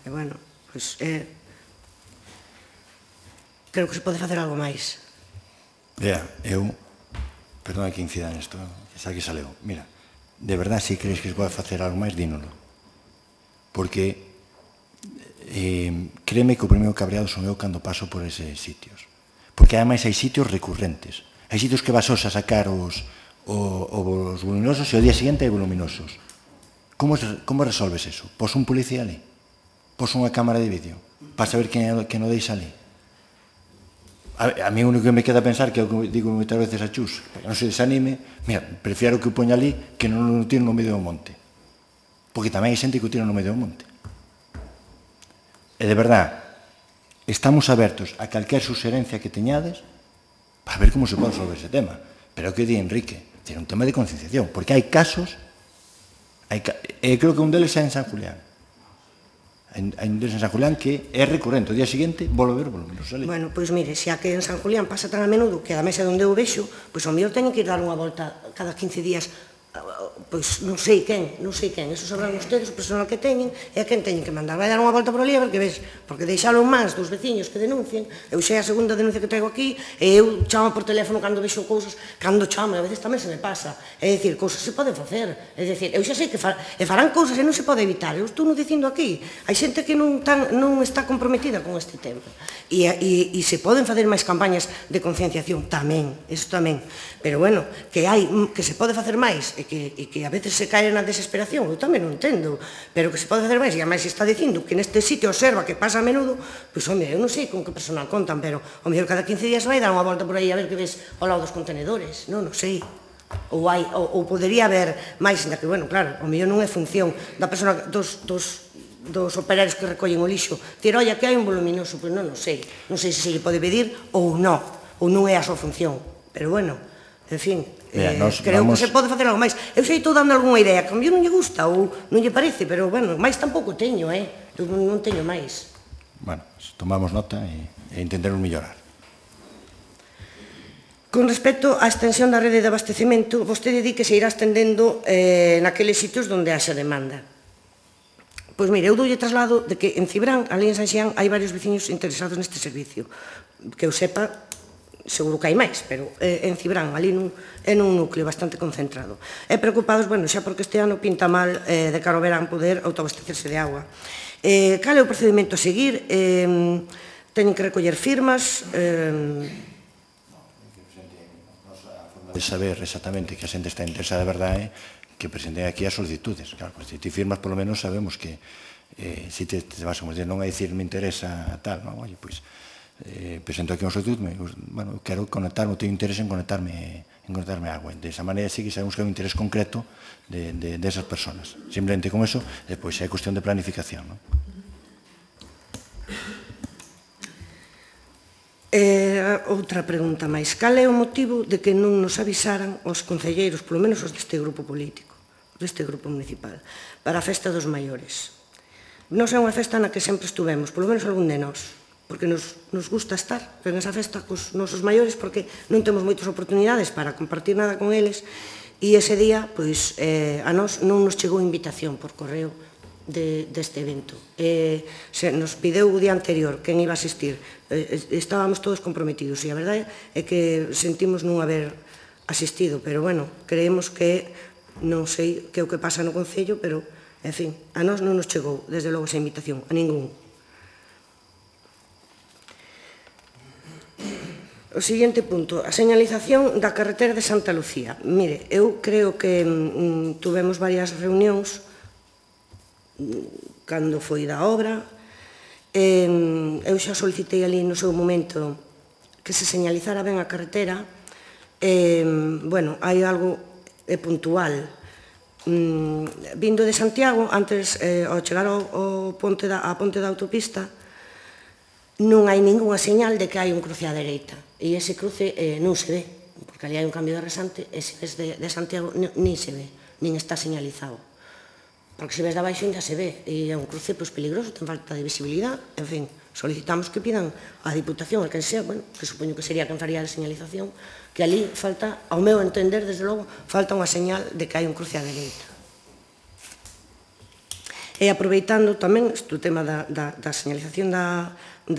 B: Bueno, pois... Creo que se pode facer algo máis.
A: Vea, eu... Perdona que incida nesto, que xa que saleu. Mira, de verdad, se crees que se pode facer algo máis, dínolo. Porque... créeme que o primeiro cabreado son eu cando paso por eses sitios. Porque ademais hai sitios recurrentes. Hai sitios que vas a sacar os voluminosos e ao día seguinte hai voluminosos. Como resolves eso? Pos un policía ali? Pos unha cámara de vídeo? Para saber quen o deixa ali? A mí o único que me queda pensar, que é o que digo moitas veces a Chus, para que non se desanime, mira, prefiero que o poña ali que non o tiro no medio do monte. Porque tamén hai xente que o tira no medio do monte. E de verdad, estamos abertos a calquer suxerencia que teñades para ver como se pode resolver ese tema. Pero o que di Enrique, é un tema de concienciación, porque hai casos, creo que un deles é en San Julián. Hai un deles en San Julián que é recurrente, o día seguinte volve a ver volúmenos ali.
B: Bueno, pois mire, xa que en San Julián pasa tan a menudo que a mesa onde eu vexo, pois ao mellor teñen que ir dar unha volta cada 15 días, pois non sei quen, eso sabrán ustedes, o personal que teñen, e a quen teñen que mandar. Vai dar unha volta por ali a ver que ves, porque deixalo en mans dos veciños que denuncien, eu xa é a segunda denuncia que traigo aquí, e eu chamo por teléfono cando vexo cousas, cando chamo, e a veces tamén se me pasa, é dicir, cousas se poden facer, é dicir, eu xa sei que farán cousas e non se pode evitar, eu estou dicindo aquí, hai xente que non está comprometida con este tema, e se poden facer máis campañas de concienciación, tamén, eso tamén, pero bueno, que se pode facer máis, e que a veces se cae na desesperación, eu tamén non entendo, pero que se pode facer máis, e a máis se está dicindo que neste sitio observa que pasa a menudo, pois, home, eu non sei con que personal contan, pero o mellor cada 15 días vai dar unha volta por aí a ver que ves ao lado dos contenedores, non sei. Ou podería haber máis, ainda que, bueno, claro, o mellor non é función da persona, dos operarios que recollen o lixo, dir, olla, que hai un voluminoso, pois non sei se lle pode pedir ou non é a súa función, pero bueno, En fin,
A: creo
B: creo que se pode facer algo máis. Eu sei estou dando algunha idea, que a mí non lle gusta ou non lle parece, pero, bueno, máis tampouco teño, eu non teño máis.
A: Bueno, tomamos nota e intentaremos mellorar.
B: Con respecto á extensión da rede de abastecemento, vostede di que se irá estendendo naqueles sitios onde haxa demanda. Pois mire, eu doulle traslado de que en Cibrán, ali en Sanxián, hai varios veciños interesados neste servicio. Que eu sepa, seguro que hai máis, pero en Cibrán, ali é nun núcleo bastante concentrado. E preocupados, bueno, xa porque este ano pinta mal de cara ao verán poder autoabastecerse de agua. Cal é o procedimento a seguir? Teñen que recoller firmas?
A: De saber exactamente que a xente está interesada de verdade que presenten aquí as solicitudes. Claro, se ti firmas, polo menos sabemos que se te vas a dizer non a dicir me interesa tal, non? Oye, pois presento aquí unha solicitud, bueno, quero conectarme, teño interés en conectarme a agua. De esa maneira sí que sabemos que hai un interés concreto de esas personas. Simplemente con eso, pois é cuestión de planificación, non?
B: Outra pregunta máis. Cal é o motivo de que non nos avisaran os concelleiros, polo menos os deste grupo político, deste grupo municipal, para a festa dos maiores? Non é unha festa na que sempre estuvemos, polo menos algún de nós, porque nos gusta estar en esa festa cos nosos maiores, porque non temos moitas oportunidades para compartir nada con eles, e ese día, pois, a nós non nos chegou invitación por correo deste evento. Se nos pideu o día anterior quen iba a asistir, estábamos todos comprometidos e a verdade é que sentimos non haber asistido, pero bueno, creemos que non sei que é o que pasa no Concello, pero en fin, a nós non nos chegou desde logo esa invitación, a ningún. O seguinte punto, a señalización da carretera de Santa Lucía. Mire, eu creo que tuvemos varias reunións cando foi da obra. Eu xa solicitei ali no seu momento que se señalizara ben a carretera. Bueno, hai algo puntual. Vindo de Santiago, antes, ao chegar á ponte da autopista, non hai ningunha señal de que hai un cruce á dereita. E ese cruce non se ve, porque ali hai un cambio de rasante, e se ves de Santiago nin se ve, nin está señalizado. Porque se ves de abaixo ainda se ve, e é un cruce peligroso, ten falta de visibilidade, en fin, solicitamos que pidan á Diputación, a quen sea, bueno, que supoño que sería quen faría a señalización, que ali falta, ao meu entender, desde logo, falta unha señal de que hai un cruce á dereita. E aproveitando tamén o tema da señalización da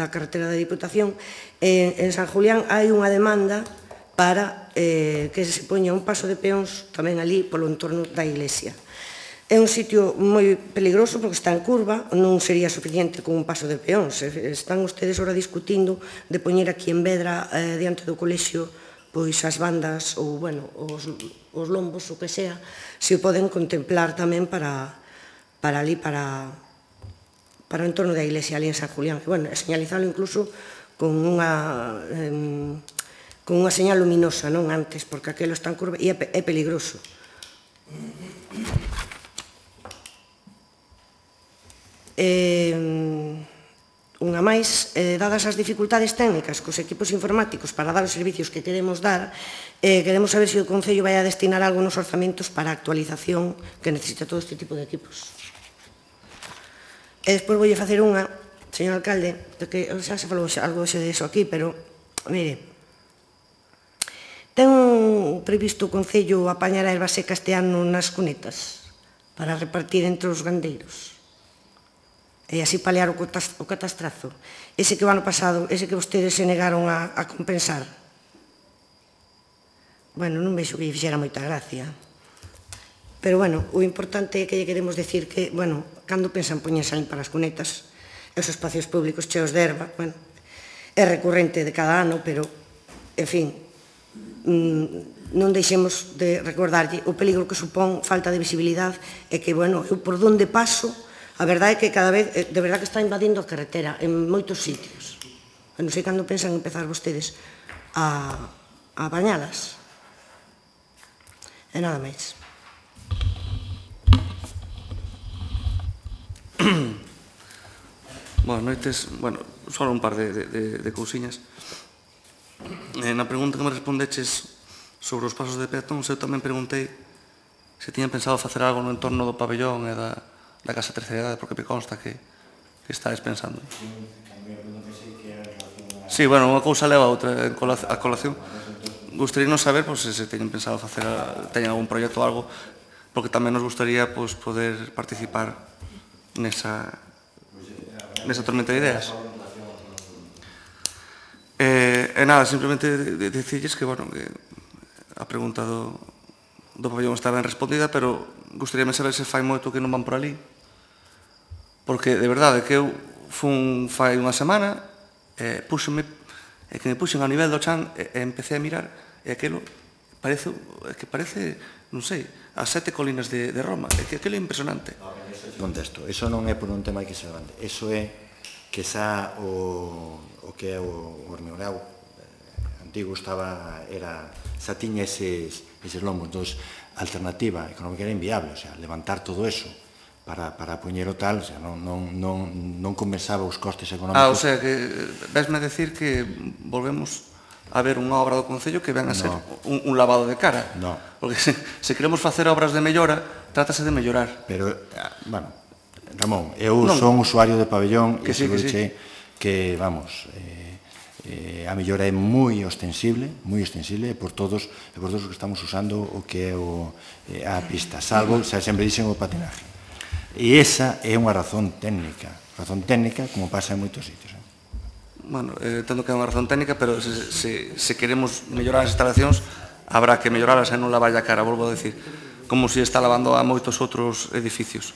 B: carretera da Diputación, en San Julián hai unha demanda para que se poña un paso de peóns tamén ali polo entorno da iglesia. É un sitio moi peligroso porque está en curva, non sería suficiente con un paso de peóns. Están ustedes ahora discutindo de poñer aquí en Vedra, diante do colexio, pois as bandas ou, bueno, os lombos, o que sea, se o poden contemplar tamén para ali, para o entorno da iglesia ali en San Julián. E, bueno, señalizarlo incluso con unha señal luminosa, non antes, porque aquelo está en curva e é peligroso. Unha máis, dadas as dificultades técnicas cos equipos informáticos para dar os servicios que queremos dar, queremos saber se o Concello vai a destinar algo nos orzamentos para a actualización que necesita todo este tipo de equipos. E despois voulle facer unha, señor alcalde, que xa se falou algo de eso aquí, pero, mire, ten previsto o Concello apañar a erva seca este ano nas cunetas para repartir entre os gandeiros? E así paliar o catastrazo. Ese que o ano pasado, ese que vostedes se negaron a compensar. Bueno, non vexo que lle fixera moita gracia. Pero, bueno, o importante é que lle queremos decir que, bueno, cando pensan poñerse a limpar as cunetas, os espacios públicos cheos de erva, bueno, é recurrente de cada ano, pero, en fin, non deixemos de recordarlle o peligro que supón falta de visibilidade e que, bueno, eu por donde paso, a verdade é que cada vez, de verdade que está invadindo a carretera en moitos sitios. Non sei cando pensan empezar vostedes a bañalas. E nada máis.
D: Boas noites. Bueno, só un par de cousiñas. Na pregunta que me respondeches sobre os pasos de peatóns, eu tamén preguntei se tiñan pensado facer algo no entorno do pabellón e da Casa Terceira Idade, porque me consta que estáis pensando. Sí, bueno, unha cousa leva a outra a colación. Gustaría non saber se teñen pensado facer, teñen algún proxecto ou algo, porque tamén nos gustaría poder participar nesa tormenta de ideas. E nada, simplemente dicirles que, bueno, que a pregunta do pabellón está ben respondida, pero gustaríame saber se fai moito que non van por ali, porque, de verdade, que eu fai unha semana, que me puxen ao nivel do chan e empecé a mirar, e aquilo parece, non sei, as 7 colinas de Roma, é que aquilo é impresionante.
A: Contesto, iso non é por un tema que se levante, iso é que xa o que é o Hormigorao antigo xa tiña eses lombos, entón a alternativa económica era inviable, o sea, levantar todo eso para poñer o tal, o sea, non compensaba os costes económicos.
D: O sea, que vesme a decir que volvemos a ver unha obra do Concello que ven a ser un lavado de cara.
A: Non.
D: Porque se queremos facer obras de mellora, trátase de mellorar.
A: Pero, bueno, Ramón, eu son usuario de pabellón e seguro que, vamos, a mellora é moi ostensible por todos os que estamos usando o que é a pista, salvo, xa sempre dixen, o patinaje. E esa é unha razón técnica, como pasa en moitos sitios.
D: Bueno, entendo que é unha razón técnica, pero se queremos mellorar as instalacións, habrá que melloralas e non lavar a cara, volvo a decir, como se está lavando a moitos outros edificios.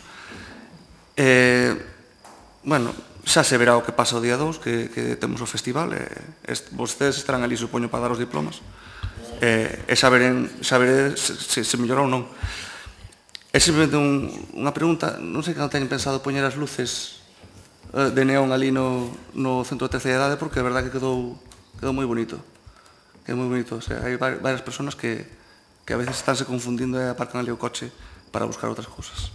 D: Bueno, xa se verá o que pasa o día 2, que temos o festival, vostedes estarán ali, supoño, para dar os diplomas, e xa veré se mellora ou non. É simplemente unha pregunta, non sei que non teñen pensado poñer as luces de neón ali no centro de terceira idade, porque a verdade que quedou moi bonito. Quedou moi bonito, o sea, hai varias persoas que a veces estánse confundindo e aparcan ali o coche para buscar outras cousas.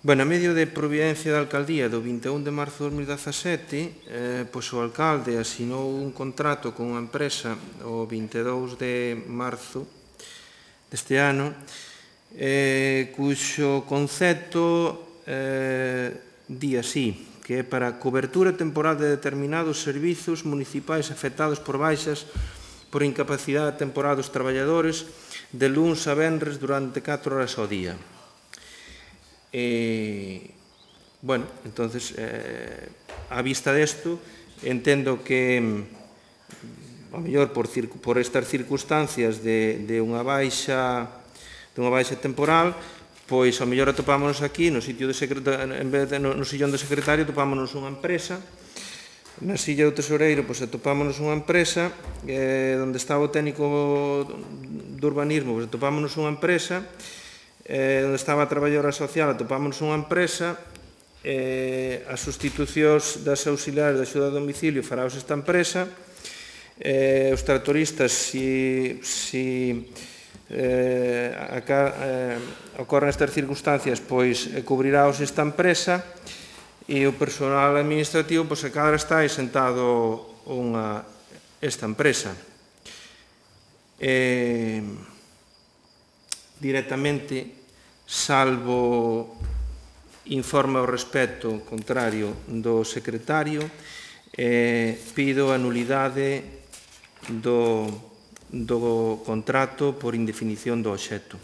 G: Bueno, a medio de providencia da Alcaldía do 21 de marzo de 2017, pois o alcalde asinou un contrato con unha empresa o 22 de marzo deste ano, cuxo concepto di así, que é para cobertura temporal de determinados servizos municipais afectados por baixas por incapacidade temporal dos traballadores de luns a venres durante 4 horas ao día. Bueno, entonces, a vista desto, entendo que, a mellor por estas circunstancias de unha baixa temporal, pois, a mellor atopámonos aquí, no sillón do secretario, atopámonos unha empresa, na silla do tesoreiro, pois, atopámonos unha empresa, onde estaba o técnico do urbanismo, pois, atopámonos unha empresa, onde estaba a traballadora social, atopámonos unha empresa, as sustitucións das auxiliares de axuda a domicilio faraos esta empresa, os tractoristas, se ocorren estas circunstancias, pois cubriráos esta empresa, e o personal administrativo, pois a cadra está sentado esta empresa. Directamente, salvo informe ao respecto contrario do secretario, pido a nulidade do contrato por indefinición do obxecto.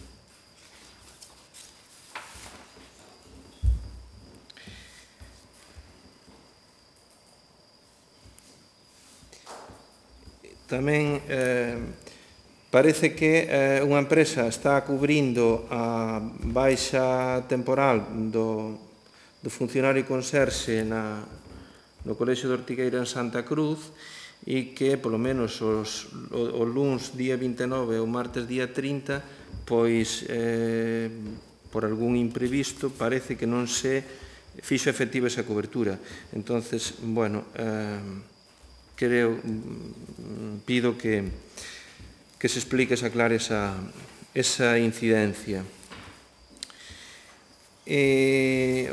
G: Tamén parece que unha empresa está cubrindo a baixa temporal do funcionario conserxe no Colexio de Ortigueira en Santa Cruz e que, polo menos, o luns día 29 e o martes día 30, pois, por algún imprevisto, parece que non se fixo efectiva esa cobertura. Entonces, bueno, pido que se explique, se aclare esa incidencia.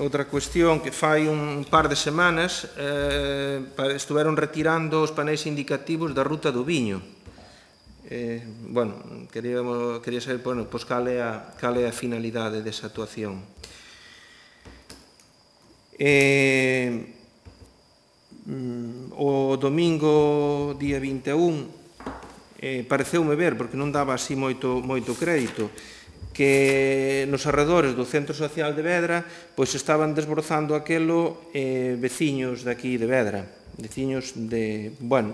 G: Outra cuestión que fai un par de semanas estuveron retirando os paneis indicativos da ruta do viño. Bueno, quería saber cal é a finalidade desa actuación. O domingo, día 21, pareceume ver, porque non daba así moito crédito, que nos arredores do Centro Social de Vedra pois estaban desbrozando aquelo veciños daqui de Vedra, veciños de, bueno,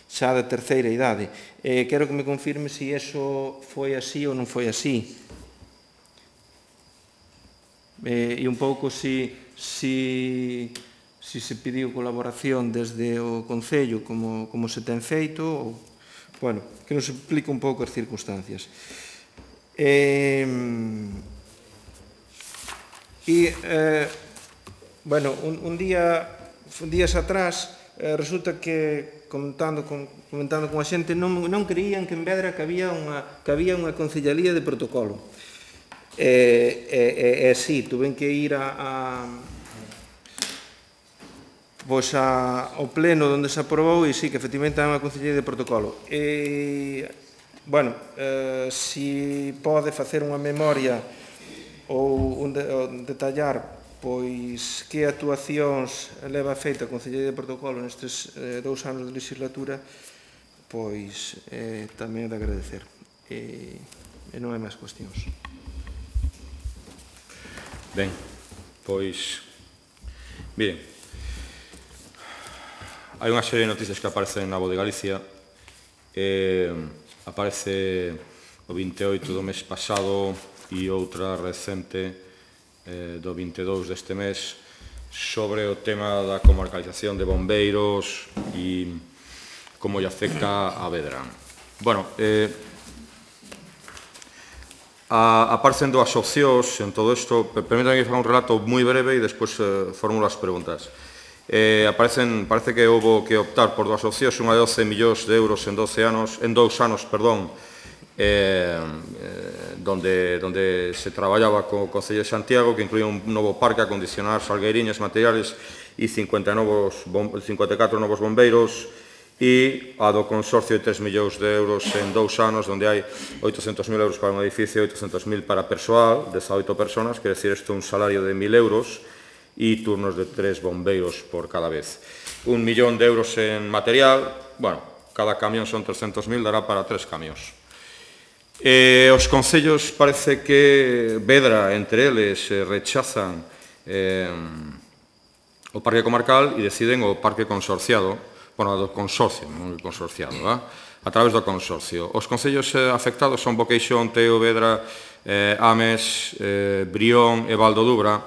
G: xa de terceira idade. Quero que me confirme se iso foi así ou non foi así. E un pouco se pediu colaboración desde o Concello como se ten feito, ou, bueno, que nos explique un pouco as circunstancias. Bueno, días atrás resulta que comentando con a xente non creían que en Vedra que había unha concellalía de protocolo. Sí, tuven que ir ao pleno onde se aprobou e sí, que efectivamente hai unha concellería de protocolo. Bueno, se pode facer unha memoria ou detallar pois que actuacións leva feita a Concellería de Protocolo nestes 2 anos de legislatura, pois tamén é de agradecer. E non hai máis cuestións.
E: Ben, pois, miren, hai unha serie de noticias que aparecen na Voz de Galicia. Aparece o 28 do mes pasado e outra recente do 22 deste mes sobre o tema da comarcalización de bombeiros e como lle afecta a Vedra. Bueno, aparecen dúas opcións en todo isto. Permítanme que faga un relato moi breve e despois formulo as preguntas. Parece que houve que optar por dúas opcións, unha de 12 millóns de euros en 2 anos, donde se traballaba co Concello de Santiago, que incluía un novo parque a acondicionar, salgueiriñas, materiales e 54 novos bombeiros, e a do consorcio de 3 millóns de euros en 2 anos, onde hai 800.000 euros para un edificio e 800.000 para persoal, 18 personas, quer decir, isto é un salario de 1.000 euros e turnos de 3 bombeiros por cada vez. 1 millón de euros en material, bueno, cada camión son 300.000, dará para 3 camións. Os concellos parece que Vedra, entre eles, rechazan o parque comarcal e deciden o parque consorciado, bueno, do consorcio, non o consorciado, a través do consorcio. Os concellos afectados son Boqueixón, Teo, Vedra, Ames, Brión e Valdodubra.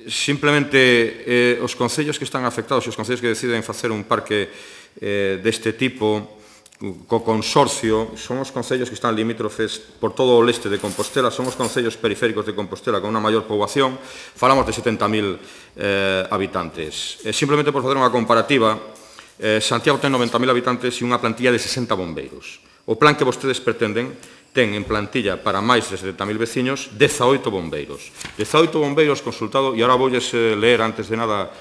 E: Simplemente, os concellos que están afectados, os concellos que deciden facer un parque deste tipo, co consorcio, son os concellos que están limítrofes por todo o leste de Compostela, son os concellos periféricos de Compostela con unha maior poboación, falamos de 70.000 habitantes. Simplemente por facer unha comparativa, Santiago ten 90.000 habitantes e unha plantilla de 60 bombeiros. O plan que vostedes pretenden ten en plantilla para máis de 70.000 veciños 18 bombeiros. 18 bombeiros consultado, e agora voulles ler antes de nada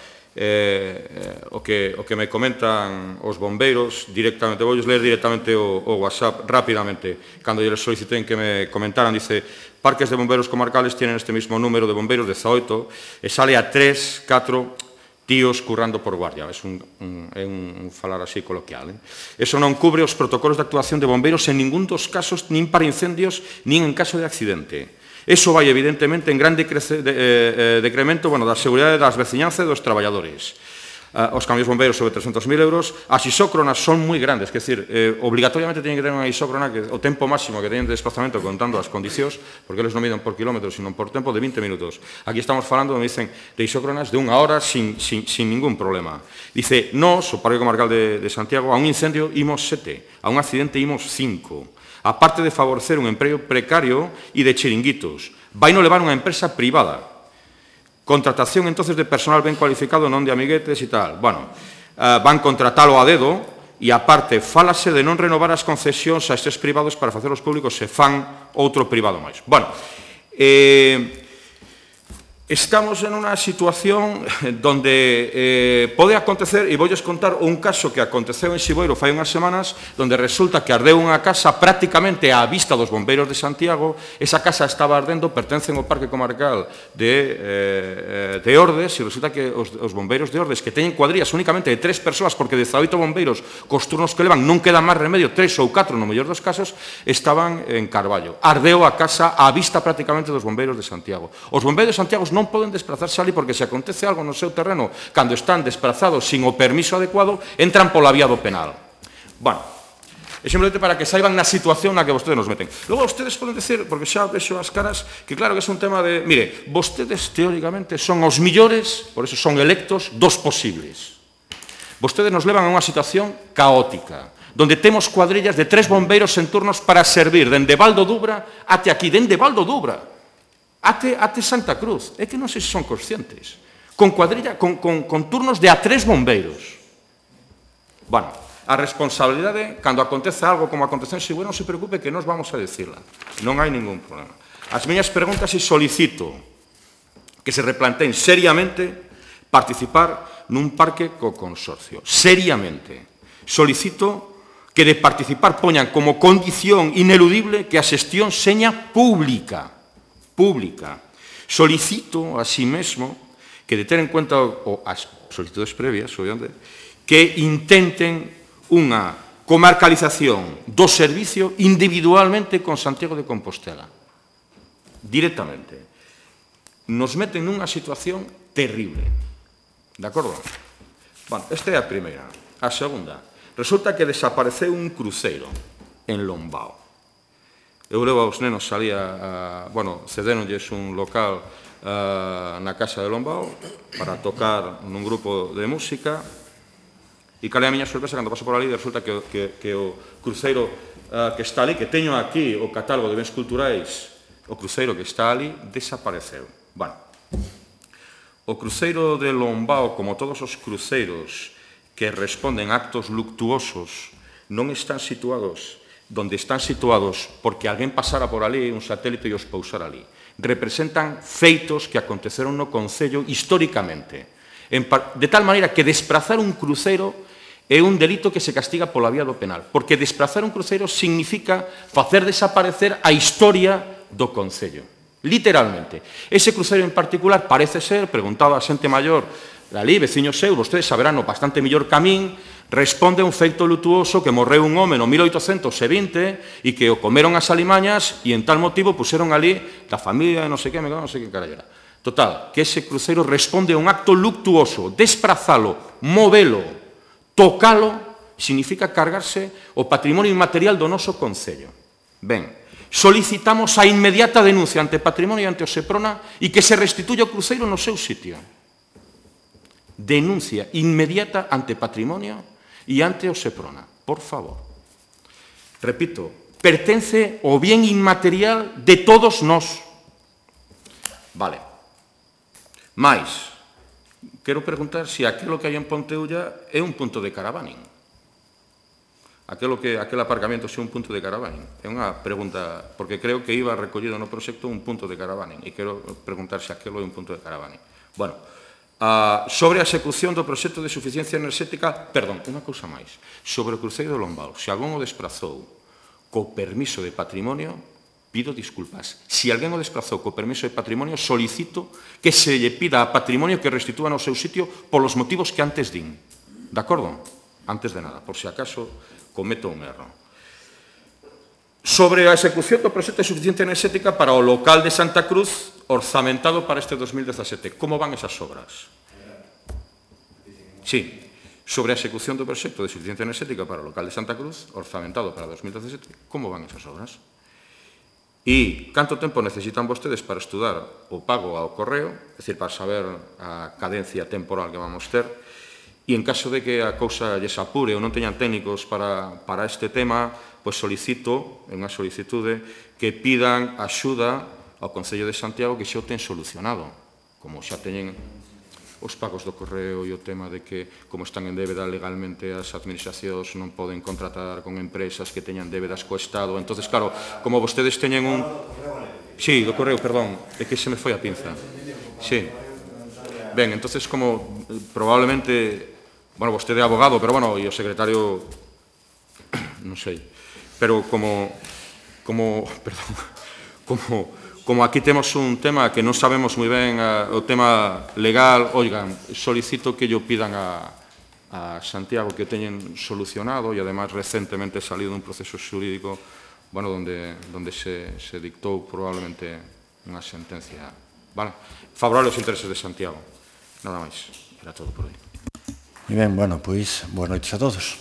E: o que me comentan os bombeiros directamente, voulles ler directamente o WhatsApp rapidamente, cando lles soliciten que me comentaran, dice: parques de bomberos comarcales tienen este mismo número de bomberos, 18, e sale a 3, 4 tíos currando por guardia. É un falar así coloquial. Eso non cubre os protocolos de actuación de bombeiros en ningún dos casos, nin para incendios, nin en caso de accidente. Eso vai, evidentemente, en gran decremento da seguridade das veciñanzas e dos traballadores. Os camións bombeiros sobre 300.000 euros. As isócronas son moi grandes, quer dizer, obligatoriamente teñen que ter unha isócrona que o tempo máximo que teñen de desplazamento contando as condicións, porque eles non miden por kilómetros, sino por tempo de 20 minutos. Aquí estamos falando, me dicen, de isócronas de 1 hora sin ningún problema. Dice, nós, o Parque Comarcal de Santiago, a un incendio imos 7, a un accidente imos 5. Aparte de favorecer un emprego precario e de chiringuitos, vai non levar unha empresa privada.
H: Contratación entonces de personal ben cualificado, non de amiguetes e tal. Bueno, van contratalo a dedo e aparte fálase de non renovar as concesións a estes privados para facelos públicos se fan outro privado máis. Bueno, estamos en unha situación donde pode acontecer, e voulles contar un caso que aconteceu en Siboiro fai unhas semanas, donde resulta que ardeu unha casa prácticamente á vista dos bombeiros de Santiago. Esa casa estaba ardendo, pertencen ao Parque Comarcal de Ordes, e resulta que os bombeiros de Ordes, que teñen cuadrillas únicamente de 3 persoas, porque 18 bombeiros cos turnos que levan non queda máis remedio, 3 ou 4 no mellor dos casos, estaban en Carballo. Ardeu a casa á vista prácticamente dos bombeiros de Santiago. Os bombeiros de Santiago non poden desplazarse ali porque se acontece algo no seu terreno cando están desplazados sin o permiso adecuado, entran pola vía do penal. Bueno, é simplemente para que saiban na situación na que vostedes nos meten. Logo, vostedes poden decir, porque xa vexo as caras, que claro que é un tema de... Mire, vostedes teóricamente son os millores, por eso son electos, dos posibles. Vostedes nos levan a unha situación caótica, donde temos cuadrillas de 3 bombeiros en turnos para servir dende Val do Dubra até aquí, dende Val do Dubra, até Santa Cruz. É que non sei se son conscientes. Con cuadrilla, con turnos de a 3 bombeiros. Bueno, a responsabilidade, cando acontece algo como aconteceu en Siboiro, non se preocupe que nos vamos a decirla. Non hai ningún problema. As miñas preguntas e solicito que se replanteen seriamente participar nun parque co consorcio. Seriamente. Solicito que de participar poñan como condición ineludible que a xestión seña pública. Solicito, así mesmo, que de ter en cuenta as solicitudes previas, obviamente, que intenten unha comarcalización do servicio individualmente con Santiago de Compostela. Directamente. Nos meten nunha situación terrible. De acordo? Bueno, esta é a primeira. A segunda, resulta que desapareceu un cruceiro en Lombao. Eu levo aos nenos ali bueno, cedéronlles un local na casa de Lombao para tocar nun grupo de música e calé a miña sorpresa cando paso por ali resulta que o cruceiro que está ali, que teño aquí o catálogo de bens culturais, o cruceiro que está ali desapareceu. Bueno, o cruceiro de Lombao, como todos os cruceiros que responden a actos luctuosos, non están situados donde están situados porque alguén pasara por ali, un satélite e os pousara ali. Representan feitos que aconteceron no Concello históricamente. De tal maneira que desplazar un cruceiro é un delito que se castiga pola vía do penal, porque desplazar un cruceiro significa facer desaparecer a historia do Concello. Literalmente. Ese cruceiro en particular parece ser, preguntaba a xente maior, ali, veciños seus, vostedes saberán o bastante mellor que a min, responde a un feito lutuoso que morreu un home no 1820 e que o comeron as alimañas e en tal motivo puseron ali da familia de non sei que, non sei que carallera. Total, que ese cruceiro responde a un acto luctuoso. Desprazalo, movelo, tocalo, significa cargarse o patrimonio inmaterial do noso Concello. Ben, solicitamos a inmediata denuncia ante Patrimonio e ante o Seprona e que se restituya o cruceiro no seu sitio. Denuncia inmediata ante Patrimonio e ante o Seprona, por favor. Repito, pertence ao bien inmaterial de todos nós. Vale. Mais, quero preguntar se aquilo que hai en Ponteulla é un punto de caravaning. Aquel aparcamento é un punto de caravaning. É unha pregunta, porque creo que iba recollido no proxecto un punto de caravaning e quero preguntar se aquilo é un punto de caravaning. Bueno, sobre a execución do proxecto de suficiencia enerxética, perdón, unha cousa máis, sobre o cruceiro de Lombao, se alguén o desprazou co permiso de patrimonio, pido disculpas. Se alguén o desprazou co permiso de patrimonio, solicito que se lle pida a Patrimonio que restitúa no seu sitio polos motivos que antes din. De acordo? Antes de nada, por se acaso cometo un erro. Sobre a execución do proxecto de suficiencia enerxética para o local de Santa Cruz, orzamentado para este 2017. Como van esas obras? Sí, sobre a execución do proxecto de suficiencia enerxética para o local de Santa Cruz, orzamentado para 2017, como van esas obras? E canto tempo necesitan vostedes para estudar o pago ao correo, é dicir, para saber a cadencia temporal que vamos ter, e en caso de que a cousa lles apure ou non teñan técnicos para este tema, pois solicito, en unha solicitude, que pidan axuda ao Concello de Santiago que xa o ten solucionado. como xa teñen os pagos do correo e o tema de que, como están en débeda legalmente, as administracións non poden contratar con empresas que teñan débedas co Estado. Entonces, claro, como vostedes teñen un... Sí, do correo, perdón, é que se me foi a pinza. Sí. Ben, entonces, como probablemente... Bueno, vostede é abogado, pero, bueno, e o secretario... Non sei. Pero como aquí temos un tema que non sabemos moi ben o tema legal, oigan, solicito que yo pidan a Santiago que o teñen solucionado e además recentemente salido un proceso xurídico, bueno, donde se dictou probablemente unha sentencia, vale, favorable aos intereses de Santiago. Nada máis, era todo por hoy.
A: Moi ben, bueno, pois, boas noites a todos.